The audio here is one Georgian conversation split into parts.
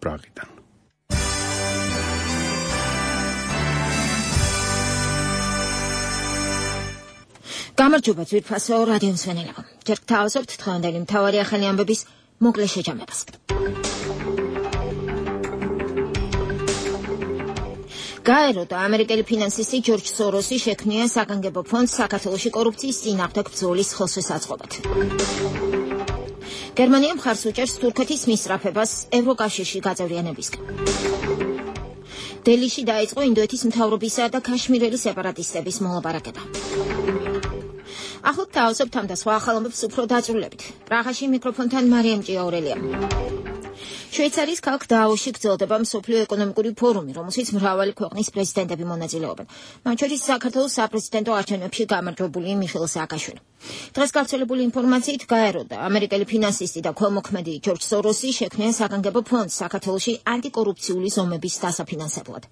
პრაღიდან. გამარჯობა ძვირფასო რადიო მსმენელებო. ჯერ გთავაზობთ დღევანდელი მთავარი ახალი ამბების მოკლე შეჯამებას. გაეროდა ამერიკელი ფინანსისტი ჯორჯ სოროსი შექმნია საგანგებო ფონდს საქართველოში კორუფციის წინააღმდეგ ბრძოლის ხელშესაწყობად. გერმანია მხარს უჭერს თურქეთის მისწრაფებას ევროკავშირში გაწევრიანებისკენ. დელიში დაიწყო ინდოეთის მთავრობისა და ქაშმირელი სეპარატისტების მოლაპარაკება. ახლა თავაზობთ ამ და სხვა ახალ ამბებს უფრო დაწვრილებით. პრაღაში მიკროფონთან მარიამ ჭიაურელია. შვეიცარიის ქალაქ დაავოში გრძელდება მსოფლიო ეკონომიკური ფორუმი, რომელშიც მრავალი ქვეყნის პრეზიდენტები მონაწილეობენ. მათ შორის საქართველოს საპრეზიდენტო არჩევნებში გამარჯვებული მიხეილ სააკაშვილი. დღეს გავრცელებული ინფორმაციით გაეროდა ამერიკელი ფინანსისტი და ქველმოქმედი ჯორჯ სოროსი შექმნია საგანგებო ფონდს საქართველოში ანტიკორუფციული ზომების დასაფინანსებლად.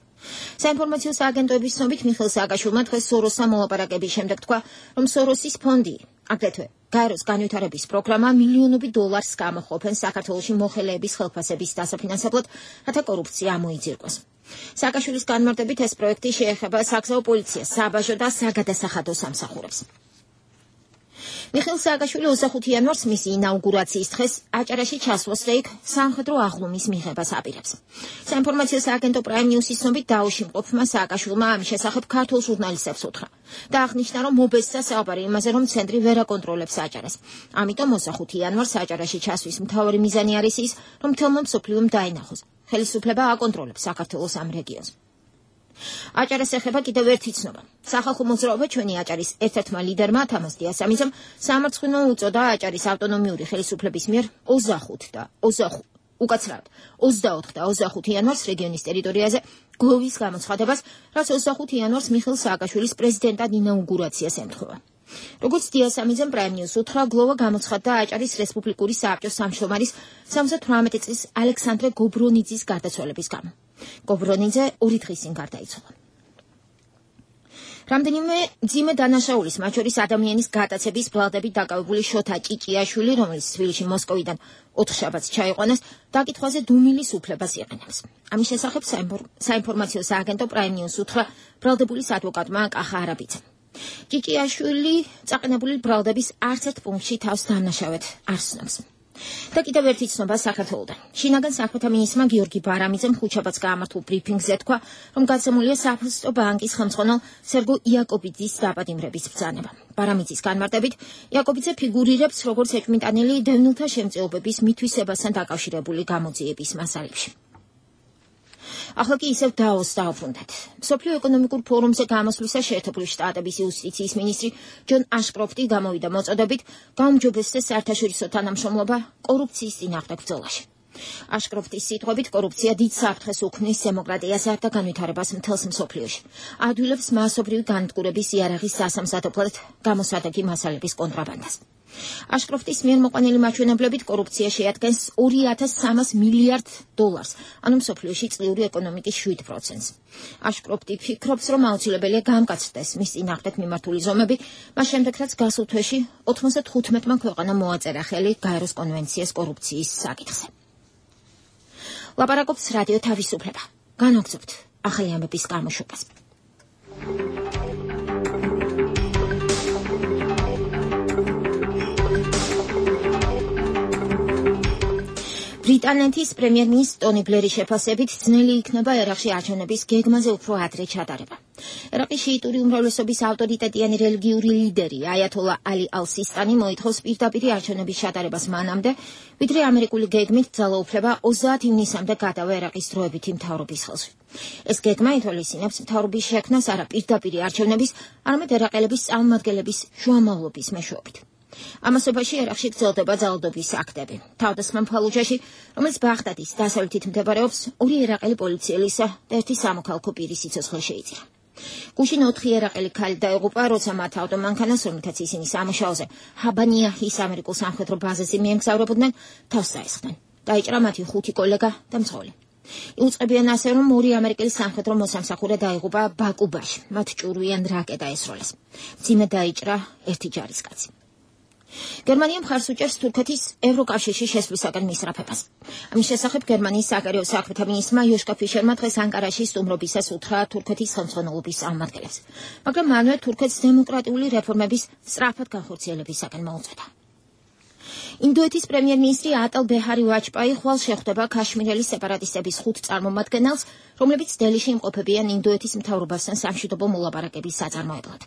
საინფორმაციო სააგენტოების ცნობით მიხეილ სააკაშვილმა დღეს სოროსთან მოლაპარაკების შემდეგ თქვა, რომ სოროსის ფონდი აგრეთვე გაეროს განვითარების პროგრამა მილიონობით დოლარს გამოყოფენ საქართველოში მოხელეების ხელფასების დასაფინანსებლად, რათა კორუფცია ამოიძირკოს. სააკაშვილის განმარტებით ეს პროექტი შეეხება საგზაო პოლიციას, საბაჟო და საგადასახადო სამსახურებს. მიხეილ სააკაშვილი 25 იანვარს მისი ინაუგურაციის დღეს აჭარაში ჩასვლას და იქ სამხედრო აღლუმის მიღებას აპირებს. საინფორმაციო სააგენტო პრაიმ ნიუსის ცნობით დაუში მყოფმა სააკაშვილმა ამის შესახებ ქართულ ჟურნალისტებს უთხრა და აღნიშნა, რომ მობესტა საუბარი იმაზე, რომ ცენტრი ვერ აკონტროლებს აჭარას. ამიტომ 25 იანვარს აჭარაში ჩასვის მთავარი მიზანი არის ის, რომ მთელმა მსოფლიომ დაინახოს. ხელისუფლება აკონტროლებს საქართველოს ამ რეგიონს. აჭარას ეხება კიდევ ერთი ცნობა. სახალხო მოძრაობა ჩვენი აჭარის ერთ-ერთმა ლიდერმა თამაზ დიასამიძემ სამარცხვინო უწოდა აჭარის ავტონომიური ხელისუფლების მიერ 25 და 28 იანვარს რეგიონის ტერიტორიაზე გლოვის გამოცხადებას, რაც 25 იანვარს მიხეილ სააკაშვილის პრეზიდენტად ინაუგურაციას ემთხვევა. როგორც დიასამიძემ პრაიმ ნიუს უთხრა, გლოვა გამოცხადდა აჭარის რესპუბლიკური სააბჭოს სამშრომალის 78 წლის ალექსანდრე გობრონიძის გარდაცვალების გამო. გობრონიძე 2 დღის წინ გარდაიცვალა. რამდენიმე მძიმე დანაშაულის, მათ შორის ადამიანის გატაცების ბრალდებით დაკავებული შოთა ჭიჭიაშვილი, რომელიც თბილისში მოსკოვიდან 4 შაბათს ჩაიყვანეს, დაკითხვაზე დუმილის უფლებას იყენებს. ამის შესახებ საინფორმაციო სააგენტო პრაიმ ნიუს უთხრა ბრალდებულის ადვოკატმა კახა არაბიძემ. ჭიჭიაშვილი წაყენებული ბრალდების არც ერთ პუნქტში თავს დანაშავედ არ ცნობს. და კიდევ ერთი ცნობა საქართველოდან. შინაგან საქმეთა მინისტრმა გიორგი ბარამიძემ ხუთშაბათს გაამართულ ბრიფინგზე თქვა, რომ გაცემულია საფოსტო ბანკის ხელმძღვანელ სერგო იაკობიძის დაპატიმრების ბრძანება. ბარამიძის განმარტებით, იაკობიძე ფიგურირებს როგორც ეჭვმიტანილი დევნილთა შემწეობების მითვისებასთან დაკავშირებული გამოძიების მასალებში. ახლა კი ისევ დაოს დავბრუნდეთ. მსოფლიო ეკონომიკურ ფორუმზე გამოსვლისას შეერთებული შტატების იუსტიციის მინისტრი ჯონ აშკროფტი გამოვიდა მოწოდებით გაუმჯობესდეს საერთაშორისო თანამშრომლობა კორუფციის წინააღმდეგ ბრძოლაში. აშკროფტის სიტყვებით, კორუფცია დიდ საფრთხეს უქმნის დემოკრატიასა და განვითარებას მთელს მსოფლიოში. ადვილებს მასობრივი განადგურების იარაღის სასამზადებლად გამოსადეგი მასალების კონტრაბანდას. აშკროფტის მიერ მოყვანილი მაჩვენებლებით კორუფცია შეადგენს 2300 მილიარდ დოლარს, ანუ მსოფლიოში წლიური ეკონომიკის 7%-ს. აშკროფტი ფიქრობს, რომ აუცილებელია გამკაცრდეს მის წინააღმდეგ მიმართული ზომები, მას შემდეგ რაც გასულ თვეში 95-მა ქვეყანამ მოაწერა ხელი გაეროს კონვენციას კორუფციის საკითხზე. ლაპარაკობს რადიო თავისუფლება. განაგრძობთ ახალი ამბების გამოშვებას. ბრიტანეთის პრემიერ-მინისტრის ტონი ბლერის შეფასებით ძნელი იქნება ერაყში არჩევნების გეგმაზე უფრო ადრე ჩატარება. ერაყის შიიტური უმრავლესობის ავტორიტეტიანი რელიგიური ლიდერი აიათოლა ალი ალ-სისტანი მოითხოვს პირდაპირ არჩევნების ჩატარებას მანამდე, ვიდრე ამერიკული გეგმით ძალაუფლება 30 ივნისამდე გადავა ერაყის დროებითი მთავრობის ხელში. ეს გეგმა ითვალისწინებს მთავრობის შექმნას არა პირდაპირ არჩევნების, არამედ ერაყელების წარმომადგენლების შუამავლობის მეშვეობით. ამასობაში ერაყში გრძელდება ძალადობის აქტები. თავდასხმა ფალუჯაში, რომელიც ბაღდადის დასავლეთით მდებარეობს, 2 ერაყელი პოლიციელისა და 1 სამოქალაქო პირის სიცოცხლე შეიწირა. გუშინ 4 ერაყელი ქალი დაიღუპა, როცა მათ ავტომანქანას, რომელთაც ისინი სამუშაოზე ჰაბანიაჰის ამერიკულ სამხედრო ბაზაზე მიემგზავრებოდნენ, თავს დაესხნენ. დაიჭრა მათი 5 კოლეგა და მძღოლი. იუწყებიან ასე, რომ 2 ამერიკელი სამხედრო მოსამსახურე დაიღუპა ბაკუბაში. მათ ჭურვიან რაკეტა ესროლეს. მძიმე დაიჭრა 1 ჯარისკაცი. გერმანია მხარს უჭერს თურქეთის ევროკავშირში შესვლისაგან მისწრაფებას. ამის შესახებ გერმანიის საგარეო საქმეთა მინისტრმა იოშკა ფიშერმა დღეს ანკარაში სტუმრობისას უთხრა თურქეთის ხელმძღვანელობის წარმომადგენლებს, მაგრამ მანვე თურქეთს დემოკრატიული რეფორმების სწრაფად განხორციელებისაგან მოუწოდა. ინდოეთის პრემიერ-მინისტრი ატალ ბეჰარი ვაჯპაი ხვალ შეხვდება ქაშმირელის სეპარატისტების 5 წარმომადგენელს, რომლებიც დელიში იმყოფებიან ინდოეთის მთავრობასთან სამშვიდობო მოლაპარაკების საწარმოებლად.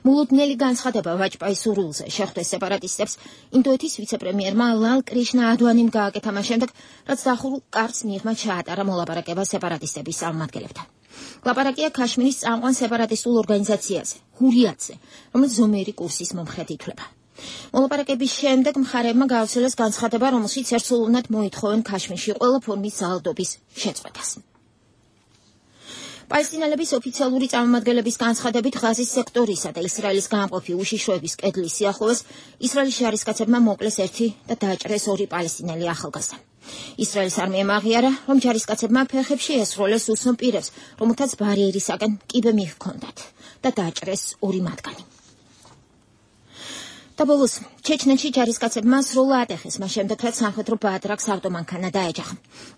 მულუდნელი განცხადება ვაჯპაის სურვილზე შეხვდეს სეპარატისტებს ინდოეთის ვიცე-პრემიერმა ლალ კრიშნა ადვანიმ გააკეთა მას შემდეგ, რაც დახურულ კარტს მიღმა ჩაატარა მოლაპარაკება სეპარატისტების წარმომადგენლებთან. ლაპარაკია ქაშმირის წამყვან სეპარატისტულ ორგანიზაციაზე, ჰურიატზე, რომელიც ზომიერი კურსის მომხრედ ითვლება. მოლაპარაკების შემდეგ მხარეებმა გაავრცელეს განცხადება, რომელშიც ერთსულოვნად მოითხოვენ ქაშმირში ყველა ფორმის ძალადობის შეწყვეტას. პალესტინელების ოფიციალური წარმომადგენლების განცხადებით ღაზის სექტორისა და ისრაელის გამყოფი უშიშროების კედლის სიახლოვეს ისრაელის ჯარისკაცებმა მოკლეს ერთი და დააჭრეს 2 პალესტინელი ახალგაზრდა. ისრაელის არმიამ აღიარა, რომ ჯარისკაცებმა ფეხებში ესროლეს უსნო პირებს, რომელთაც ბარიერისაგან კიბე მიჰქონდათ და დააჭრეს 2 მათგანი. და ბოლოს, ჩეჩნეთში ჯარისკაცებმა სროლა ატეხეს, მას შემდეგ, რაც სამხედრო ბაადრაკს ავტომანქანა დაეჯახა.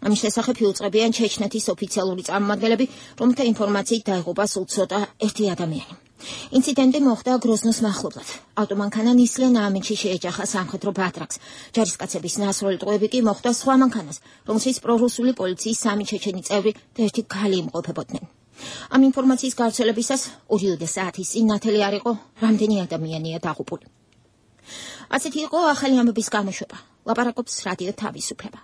ამის შესახებ იუწყებიან ჩეჩნეთის ოფიციალური წარმომადგენლები, რომელთა ინფორმაციით დაიღუპა სულ ცოტა 1 ადამიანი. ინციდენტი მოხდა გროზნოს მახლობლად. ავტომანქანა ნისლენ ამინში შეეჯახა სამხედრო ბაადრაკს. ჯარისკაცების ნასროლი ტყვეები კი მოხდა სხვა მანქანას, რომელშიც პრორუსული პოლიციის 3 ჩეჩენი წევრი და 1 ქალი იმყოფებოდნენ. ამ ინფორმაციის გავრცელებისას 2 საათის წინ ნათელი არ იყო, რამდენი ადამიანია დაღუპული. ასეთი იყო ახალი ამბების გამოშვება. ლაპარაკობს რადიო თავისუფლება.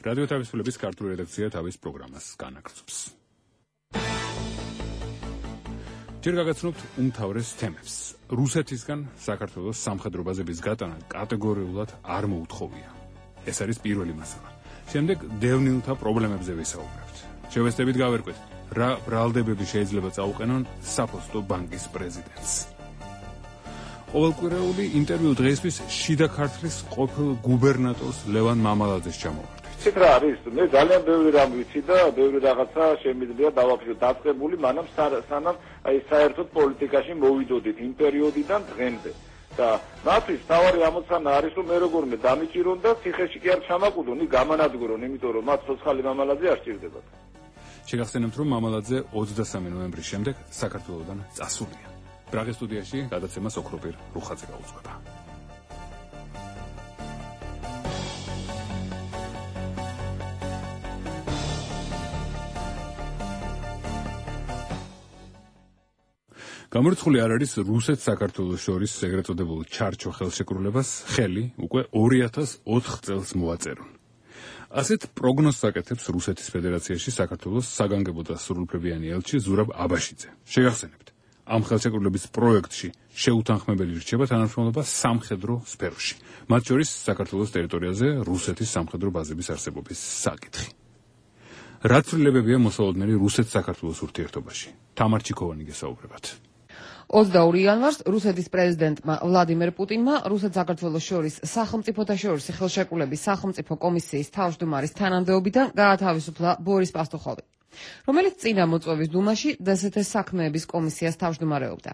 რადიო თავისუფლების ქართული რედაქცია თავის პროგრამას განაგრძობს. ჯერ გაგაცნობთ უმთავრეს თემებს. რუსეთისგან საქართველოს სამხედრო ბაზების გატანა კატეგორიულად არ მოუთხოვია. ეს არის პირველი მასალა. შემდეგ დევნილთა პრობლემებზე ვისაუბრებთ. შევესწრებით გავერკვეთ, რა ბრალდებები შეიძლება წაუყენონ საფოსტო ბანკის პრეზიდენტს. ყოველკვირეული ინტერვიუ დღეისთვის შიდა ქართლის ყოფილ გუბერნატორს ლევან მამალაძეს ჩამოვარდით. ცით რა არის? მე ძალიან ბევრი რამ ვიცი და ბევრი რაღაცა შემიძლია დავაფიქრო დაწყებული, მანამ სანამ აი საერთოდ პოლიტიკაში მოვიდოდით იმ პერიოდიდან დღემდე. და მათთვის თავარი ამოცანა არის, რომ მე როგორმე დამიჭირონ და ციხეში კი არ ჩამაკვდონ, გამანადგურონ, იმიტომ რომ მათ ცოცხალი მამალაძე არ სჭირდებათ. შეგახსენებთ, რომ მამალაძე 23 ნოემბრის შემდეგ საქართველოსდან წასულია. ბრაღის სტუდიაში გადაცემა სოქროპირ რუხაძე გაუძღვება. გამორიცხული არ არის რუსეთ საქართველოს შორის ეგრეთ წოდებულ ჩარჩო ხელშეკრულებას ხელი უკვე 2004 წელს მოაწერონ. ასეთ პროგნოზს აკეთებს რუსეთის ფედერაციაში საქართველოს საგანგებო და სრულუფლებიანი ელჩი ზურაბ აბაშიძე. შეგახსენებთ, ამ ხელშეკრულების პროექტში შეუთანხმებელი რჩება თანამშრომლობა სამხედრო სფეროში, მათ შორის საქართველოს ტერიტორიაზე რუსეთის სამხედრო ბაზების არსებობის საკითხი. რა ცვლილებებია მოსალოდნელი რუსეთ-საქართველოს ურთიერთობაში? თამარ ჩიქოვანი გესაუბრებათ. 22 იანვარს რუსეთის პრეზიდენტმა ვლადიმერ პუტინმა რუსეთ-საქართველოს შორის სახელმწიფოთა შორის ხელშეკრულების სახელმწიფო კომისიის თავმჯდომარის თანამდებობიდან გაათავისუფლა ბორის პასტუხოვი, რომელიც წინა მოწვევის დუმაში დსთ-ის საქმეების კომისიას თავმჯდომარეობდა.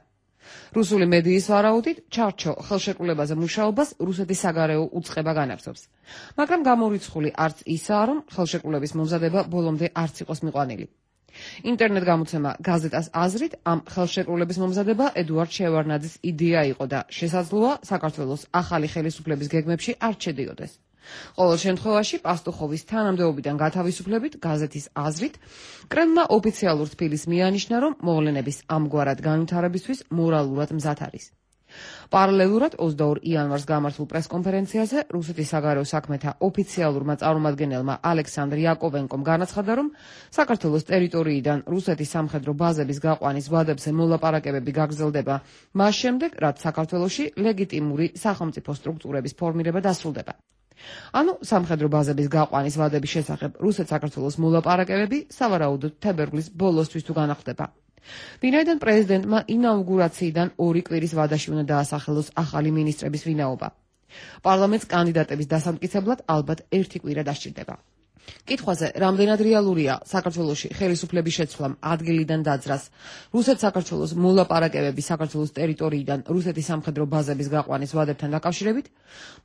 რუსული მედიის ვარაუდით, ჩარჩო ხელშეკრულებაზე მუშაობას რუსეთის საგარეო უწყება განაგრძობს, მაგრამ გამორიცხული არც ისაა, რომ ხელშეკრულების მომზადება ბოლომდე არც იყოს მიყვანილი. ინტერნეტ გამოცემა გაზეტას აზრით, ამ ხელშეკრულების მომზადება ედუარდ შევარნაძის იდეა იყო და შესაძლოა საქართველოს ახალი ხელისუფლების გეგმებში არ ჩედიოდეს. ყოველ შემთხვევაში პასტუხოვის თანამდებობიდან გათავისუფლებით გაზეთის აზრით, კრემლმა ოფიციალურ თბილისს მიანიშნა, რომ მოვლენების ამგვარად განვითარებისთვის მორალურად მზად არის. პარალელურად 22 იანვარს გამართულ პრესკონფერენციაზე რუსეთის საგარეო საქმეთა ოფიციალურმა წარმომადგენელმა ალექსანდრ იაკოვენკომ განაცხადა, რომ საქართველოს ტერიტორიიდან რუსეთის სამხედრო ბაზების გაყვანის ვადებზე მოლაპარაკებები გაგრძელდება მას შემდეგ, რაც საქართველოში ლეგიტიმური სახელმწიფო სტრუქტურების ფორმირება დასრულდება. ანუ სამხედრო ბაზების გაყვანის ვადების შესახებ რუსეთ-საქართველოს მოლაპარაკებები სავარაუდოდ თებერვლის ბოლოსთვის თუ განახლდება. ვინაიდან პრეზიდენტმა ინაუგურაციიდან 2 კვირის ვადაში უნდა დაასახელოს ახალი მინისტრების ვინაობა. პარლამენტს კანდიდატების დასამტკიცებლად ალბათ 1 კვირა დასჭირდება. კითხვაზე, რამდენად რეალურია საქართველოში ხელისუფლების შეცვლამ ადგილიდან დაძრას, რუსეთ-საქართველოს მოლაპარაკებები საქართველოს ტერიტორიიდან რუსეთის სამხედრო ბაზების გაყვანის ვადებთან დაკავშირებით,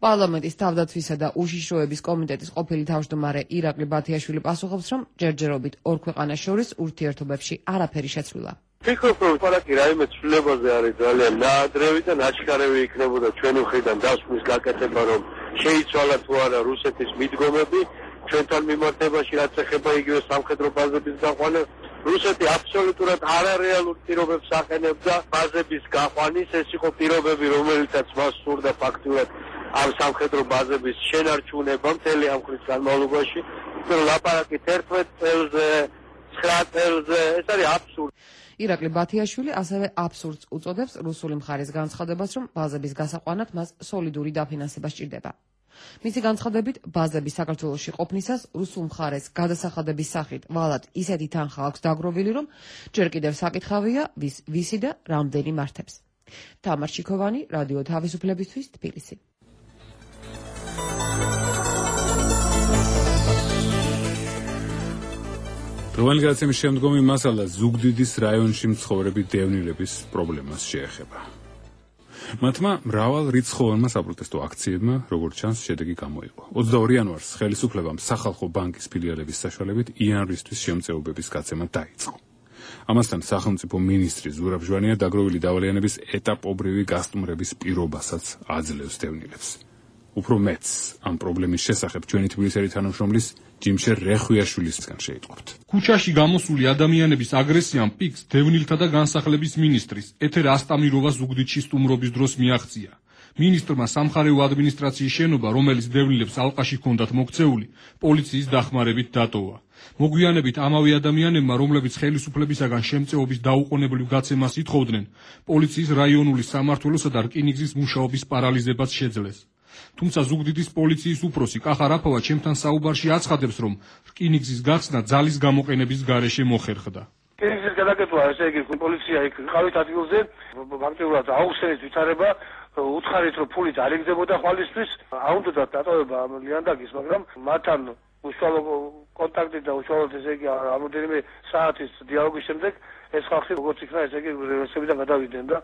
პარლამენტის თავდაცვისა და უშიშროების კომიტეტის ყოფილი თავმჯდომარე ირაკლი ბათიაშვილი პასუხობს, რომ ჯერჯერობით ორ ქვეყანას შორის ურთიერთობებში არაფერი შეცვლილა. ფიქრობ, რომ პარაკი რაიმე ცვლილებაზე არის ძალიან ნაადრევი და ნაჩქარევი იქნებოდა ჩვენი მხრიდან დასვნის გაკეთება, რომ შეიცვალა თუ არა რუსეთის მიდგომები ჩვენთან მიმართებაში, რაც ეხება იგივე სამხედრო ბაზების გაყვანას. რუსეთი აბსოლუტურად არარეალურ პირობებს აყენებდა ბაზების გაყვანის, ეს იყო პირობები, რომელიცაც მას სურდა ფაქტურად ამ სამხედრო ბაზების შენარჩუნება მთელი ამ ხნის განმავლობაში. ლაპარაკით 11 წელზე, 9 წელზე, ეს არის აბსურდი. ირაკლი ბათიაშვილი ასევე აბსურდს უწოდებს რუსული მხარის განცხადებას, რომ ბაზების გასაყვანად მას სოლიდური დაფინანსება სჭირდება. მისი განცხადებით, ბაზების საქართველოში ყოფნისას რუსულ მხარეს გადასახადების სახით ვალად ისეთი თანხა აქვს დაგროვილი, რომ ჯერ კიდევ საკითხავია, ვისი და რამდენი მართებს. თამარ ჩიქოვანი, რადიო თავისუფლებისთვის, თბილისი. დღევანდელი გადაცემის შემდგომი მასალა ზუგდიდის რაიონში მცხოვრები დევნილების პრობლემას შეეხება. მათმა მრავალ რიცხოვანმა საპროტესტო აქციებმა, როგორც ჩანს, შედეგი გამოიღო. 22 იანვარს ხელისუფლებამ სახალხო ბანკის ფილიალების საშუალებით იანვრისთვის შემწეობების გაცემა დაიწყო. ამასთან სახელმწიფო მინისტრი ზურაბ ჟვანია დაგროვილი დავალიანების ეტაპობრივი გასტუმრების პირობასაც აძლევს დევნილებს. უფრო მეც ამ პრობლემის შესახებ ჩვენი თბილისელი თანამშრომლის ჯიმშერ რეხვიაშვილისგან შეიტყობთ. ქუჩაში გამოსული ადამიანების აგრესიამ პიკს დევნილთა და განსახლების მინისტრის ეთერ ასტამიროვას ზუგდიდში სტუმრობის დროს მიაღწია. მინისტრმა სამხარეო ადმინისტრაციის შენობა, რომელიც დევნილებს ალყაში ჰქონდათ მოქცეული, პოლიციის დახმარებით დატოვა. მოგვიანებით ამავე ადამიანებმა, რომლებიც ხელისუფლებისაგან შემწეობის დაუყოვნებლივ გაცემას ითხოვდნენ, პოლიციის რაიონული სამმართველოსა და რკინიგზის მუშაობის პარალიზებაც შეძლეს. თუმცა ზუგდიდის პოლიციის უფროსი კახარაფოვა ჩემთან საუბარში აცხადებს, რომ რკინიგზის გახსნა ძალის გამოყენების გარეშე მოხერხდა. რკინიგზის გადაკეთვა, ესე იგი, პოლიცია იქ ყავით ადგილზე, ფაქტობრივად აუხსენით ვითარება, უთხარით, რომ ფულით არ იგდებოდა ხვალისთვის, აუნდოდათ დატოვება ამ ლიანდაგის, მაგრამ მათთან უშუალო კონტაქტი და უშუალოდ ესე იგი რამოდენიმე საათის დიალოგის შემდეგ ეს ხალხი როგორც იქნა, ესე იგი რესებიდან გადავიდნენ და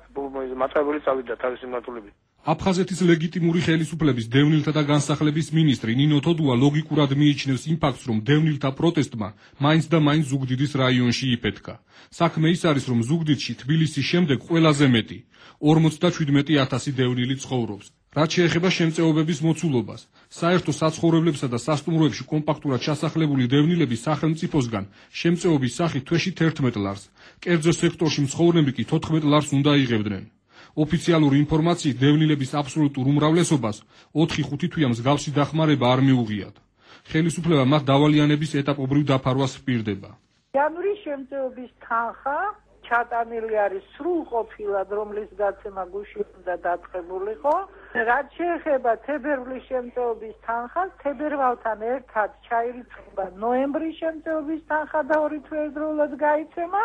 მატარებელი წავიდა თავისი მმართველობით. აფხაზეთის ლეგიტიმური ხელისუფლების დევნილთა და განსახლების მინისტრი ნინო თოდუა ლოგიკურად მიიჩნევს იმ ფაქტს, რომ დევნილთა პროტესტმა მაინც და მაინც ზუგდიდის რაიონში იფეთქა. საქმე ის არის, რომ ზუგდიდში თბილისის შემდეგ ყველაზე მეტი 57,000 დევნილი ცხოვრობს. რაც შეეხება შემწეობების მოცულობას, საერთო საცხოვრებლებსა და სასტუმროებში კომპაქტურად ჩასახლებული დევნილები სახელმწიფოსგან შემწეობის სახით თვეში 11 ლარს, კერძო სექტორში მცხოვრები კი 14 ლარს უნდა იღებდნენ. ოფიციალური ინფორმაციით დევნილების აბსოლუტურ უმრავლესობას 4-5 თვეა მსგავსი დახმარება არ მიუღიათ. ხელისუფლება მათ დავალიანების ეტაპობრივ დაფარვას ჰპირდება. იანვრის შემწეობის თანხა ჩატანილი არის სრულყოფილად, რომლის გაცემა გუშინ უნდა დაწყებულიყო. რაც შეეხება თებერვლის შემწეობის თანხას, თებერვალთან ერთად ჩაირიცხება ნოემბრის შემწეობის თანხა და 2 თვე ერთდროულად გაიცემა.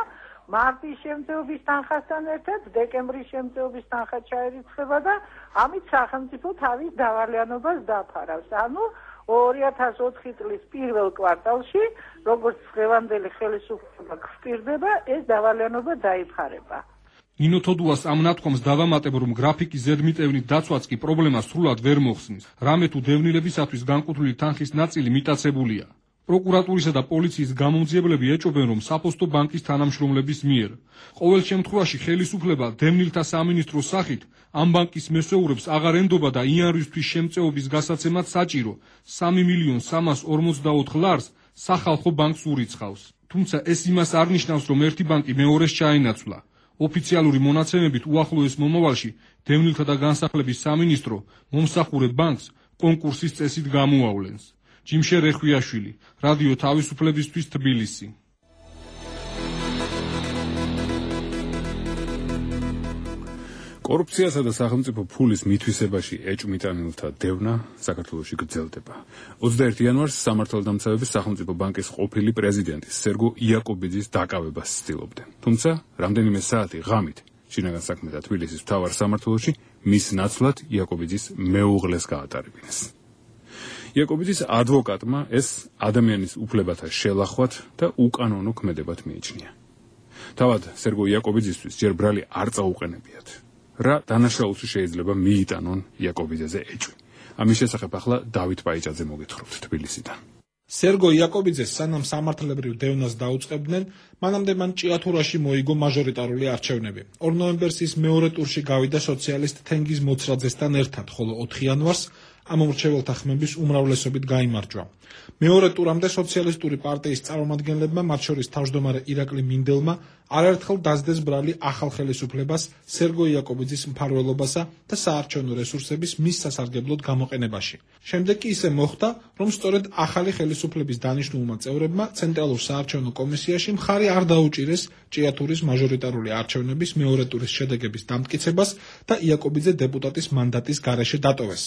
მარტის შემწეობის თანხასთან ერთად დეკემბრის შემწეობის თანხა ჩაირიცხება და ამით სახელმწიფო თავის დავალიანობას დაფარავს. ანუ 2004 წლის პირველ კვარტალში, როგორც დღევანდელი ხელისუფლება გვსტირდება, ეს დავალიანობა დაიფარება. ნინო თოდუას ამ ნათქვამს დავამატებ, რომ გრაფიკის ზედმიტევნით დაცვაც კი პრობლემას სრულად ვერ მოხსნის. რამე თუ დევნილებისათვის განკუთვნილი თანხის ნაწილი მიტაცებულია. პროკურატურისა და პოლიციის გამომძიებლები ეჭობენ, რომ საფოსტო ბანკის თანამშრომლების მიერ. ყოველ შემთხვევაში ხელისუფლება დევნილთა სამინისტროს სახით ამ ბანკის მესეურებს აღარ ენდობა და იანვრისთვის შემწეობის გასაცემად საჭირო 3,344,000 ლარს სახალხო ბანკს ურიცხავს. თუმცა ეს იმას არ ნიშნავს, რომ ერთი ბანკი მეორეს ჩაენაცვლა. ოფიციალური მონაცემებით უახლოეს მომავალში დევნილთა და განსახლების სამინისტრო მომსახურე ბანკს კონკურსის წესით გამოავლენს. ჯიმშერ რეხვიაშვილი, რადიო თავისუფლებისთვის, თბილისი. კორუფციასა და სახელმწიფო ფულის მითვისებაში ეჭვმიტანილთა დევნა საქართველოში გრძელდება. 21 იანვარს სამართალდამცავების სახელმწიფო ბანკის ყოფილი პრეზიდენტის სერგო იაკობიძის დაკავებას ცდილობდნენ. თუმცა, რამდენიმე საათი ღამით შინაგან საქმეთა თბილისის მთავარ სამმართველოში მის ნაცვლად იაკობიძის მეუღლეს გაატარებინეს. იაკობიძის ადვოკატმა ეს ადამიანის უფლებათა შელახვად და უკანონო ქმედებად მიიჩნია. თავად სერგო იაკობიძისთვის ჯერ ბრალი არ წაუყენებიათ. რა დანაშაულში შეიძლება მიიტანონ იაკობიძეზე ეჭვი. ამის შესახებ ახლა დავით პაიჭაძე მოგეთხრობთ თბილისიდან. სერგო იაკობიძეს სანამ სამართლებრივ დევნას დაუწყებდნენ, მანამდე მან ჭიათურაში მოიგო მაჟორიტარული არჩევნები. 2 ნოემბერს ის მეორე ტურში გავიდა სოციალისტ თენგიზ მოცრაძესთან ერთად, ხოლო 4 იანვარს ამ მომრჩეველთა ხმების უმრავლესობით გაიმარჯვა. მეორე ტურამდე სოციალისტური პარტიის წარმომადგენლებმა, მათ შორის თავმჯდომარე ირაკლი მინდელმა, არაერთხელ დასდეს ბრალი ახალ ხელისუფლებას, სერგო იაკობიძის მფარველობასა და საარჩევნო რესურსების მის სასარგებლოდ გამოყენებაში. შემდეგ კი ისე მოხდა, რომ სწორედ ახალი ხელისუფლების დანიშნულმა წევრებმა ცენტრალურ საარჩევნო კომისიაში მხარი არ დაუჭირეს ჭიათურის მაჟორიტარული არჩევნების მეორე ტურის შედეგების დამტკიცებას და იაკობიძე დეპუტატის მანდატის გარეშე დატოვეს.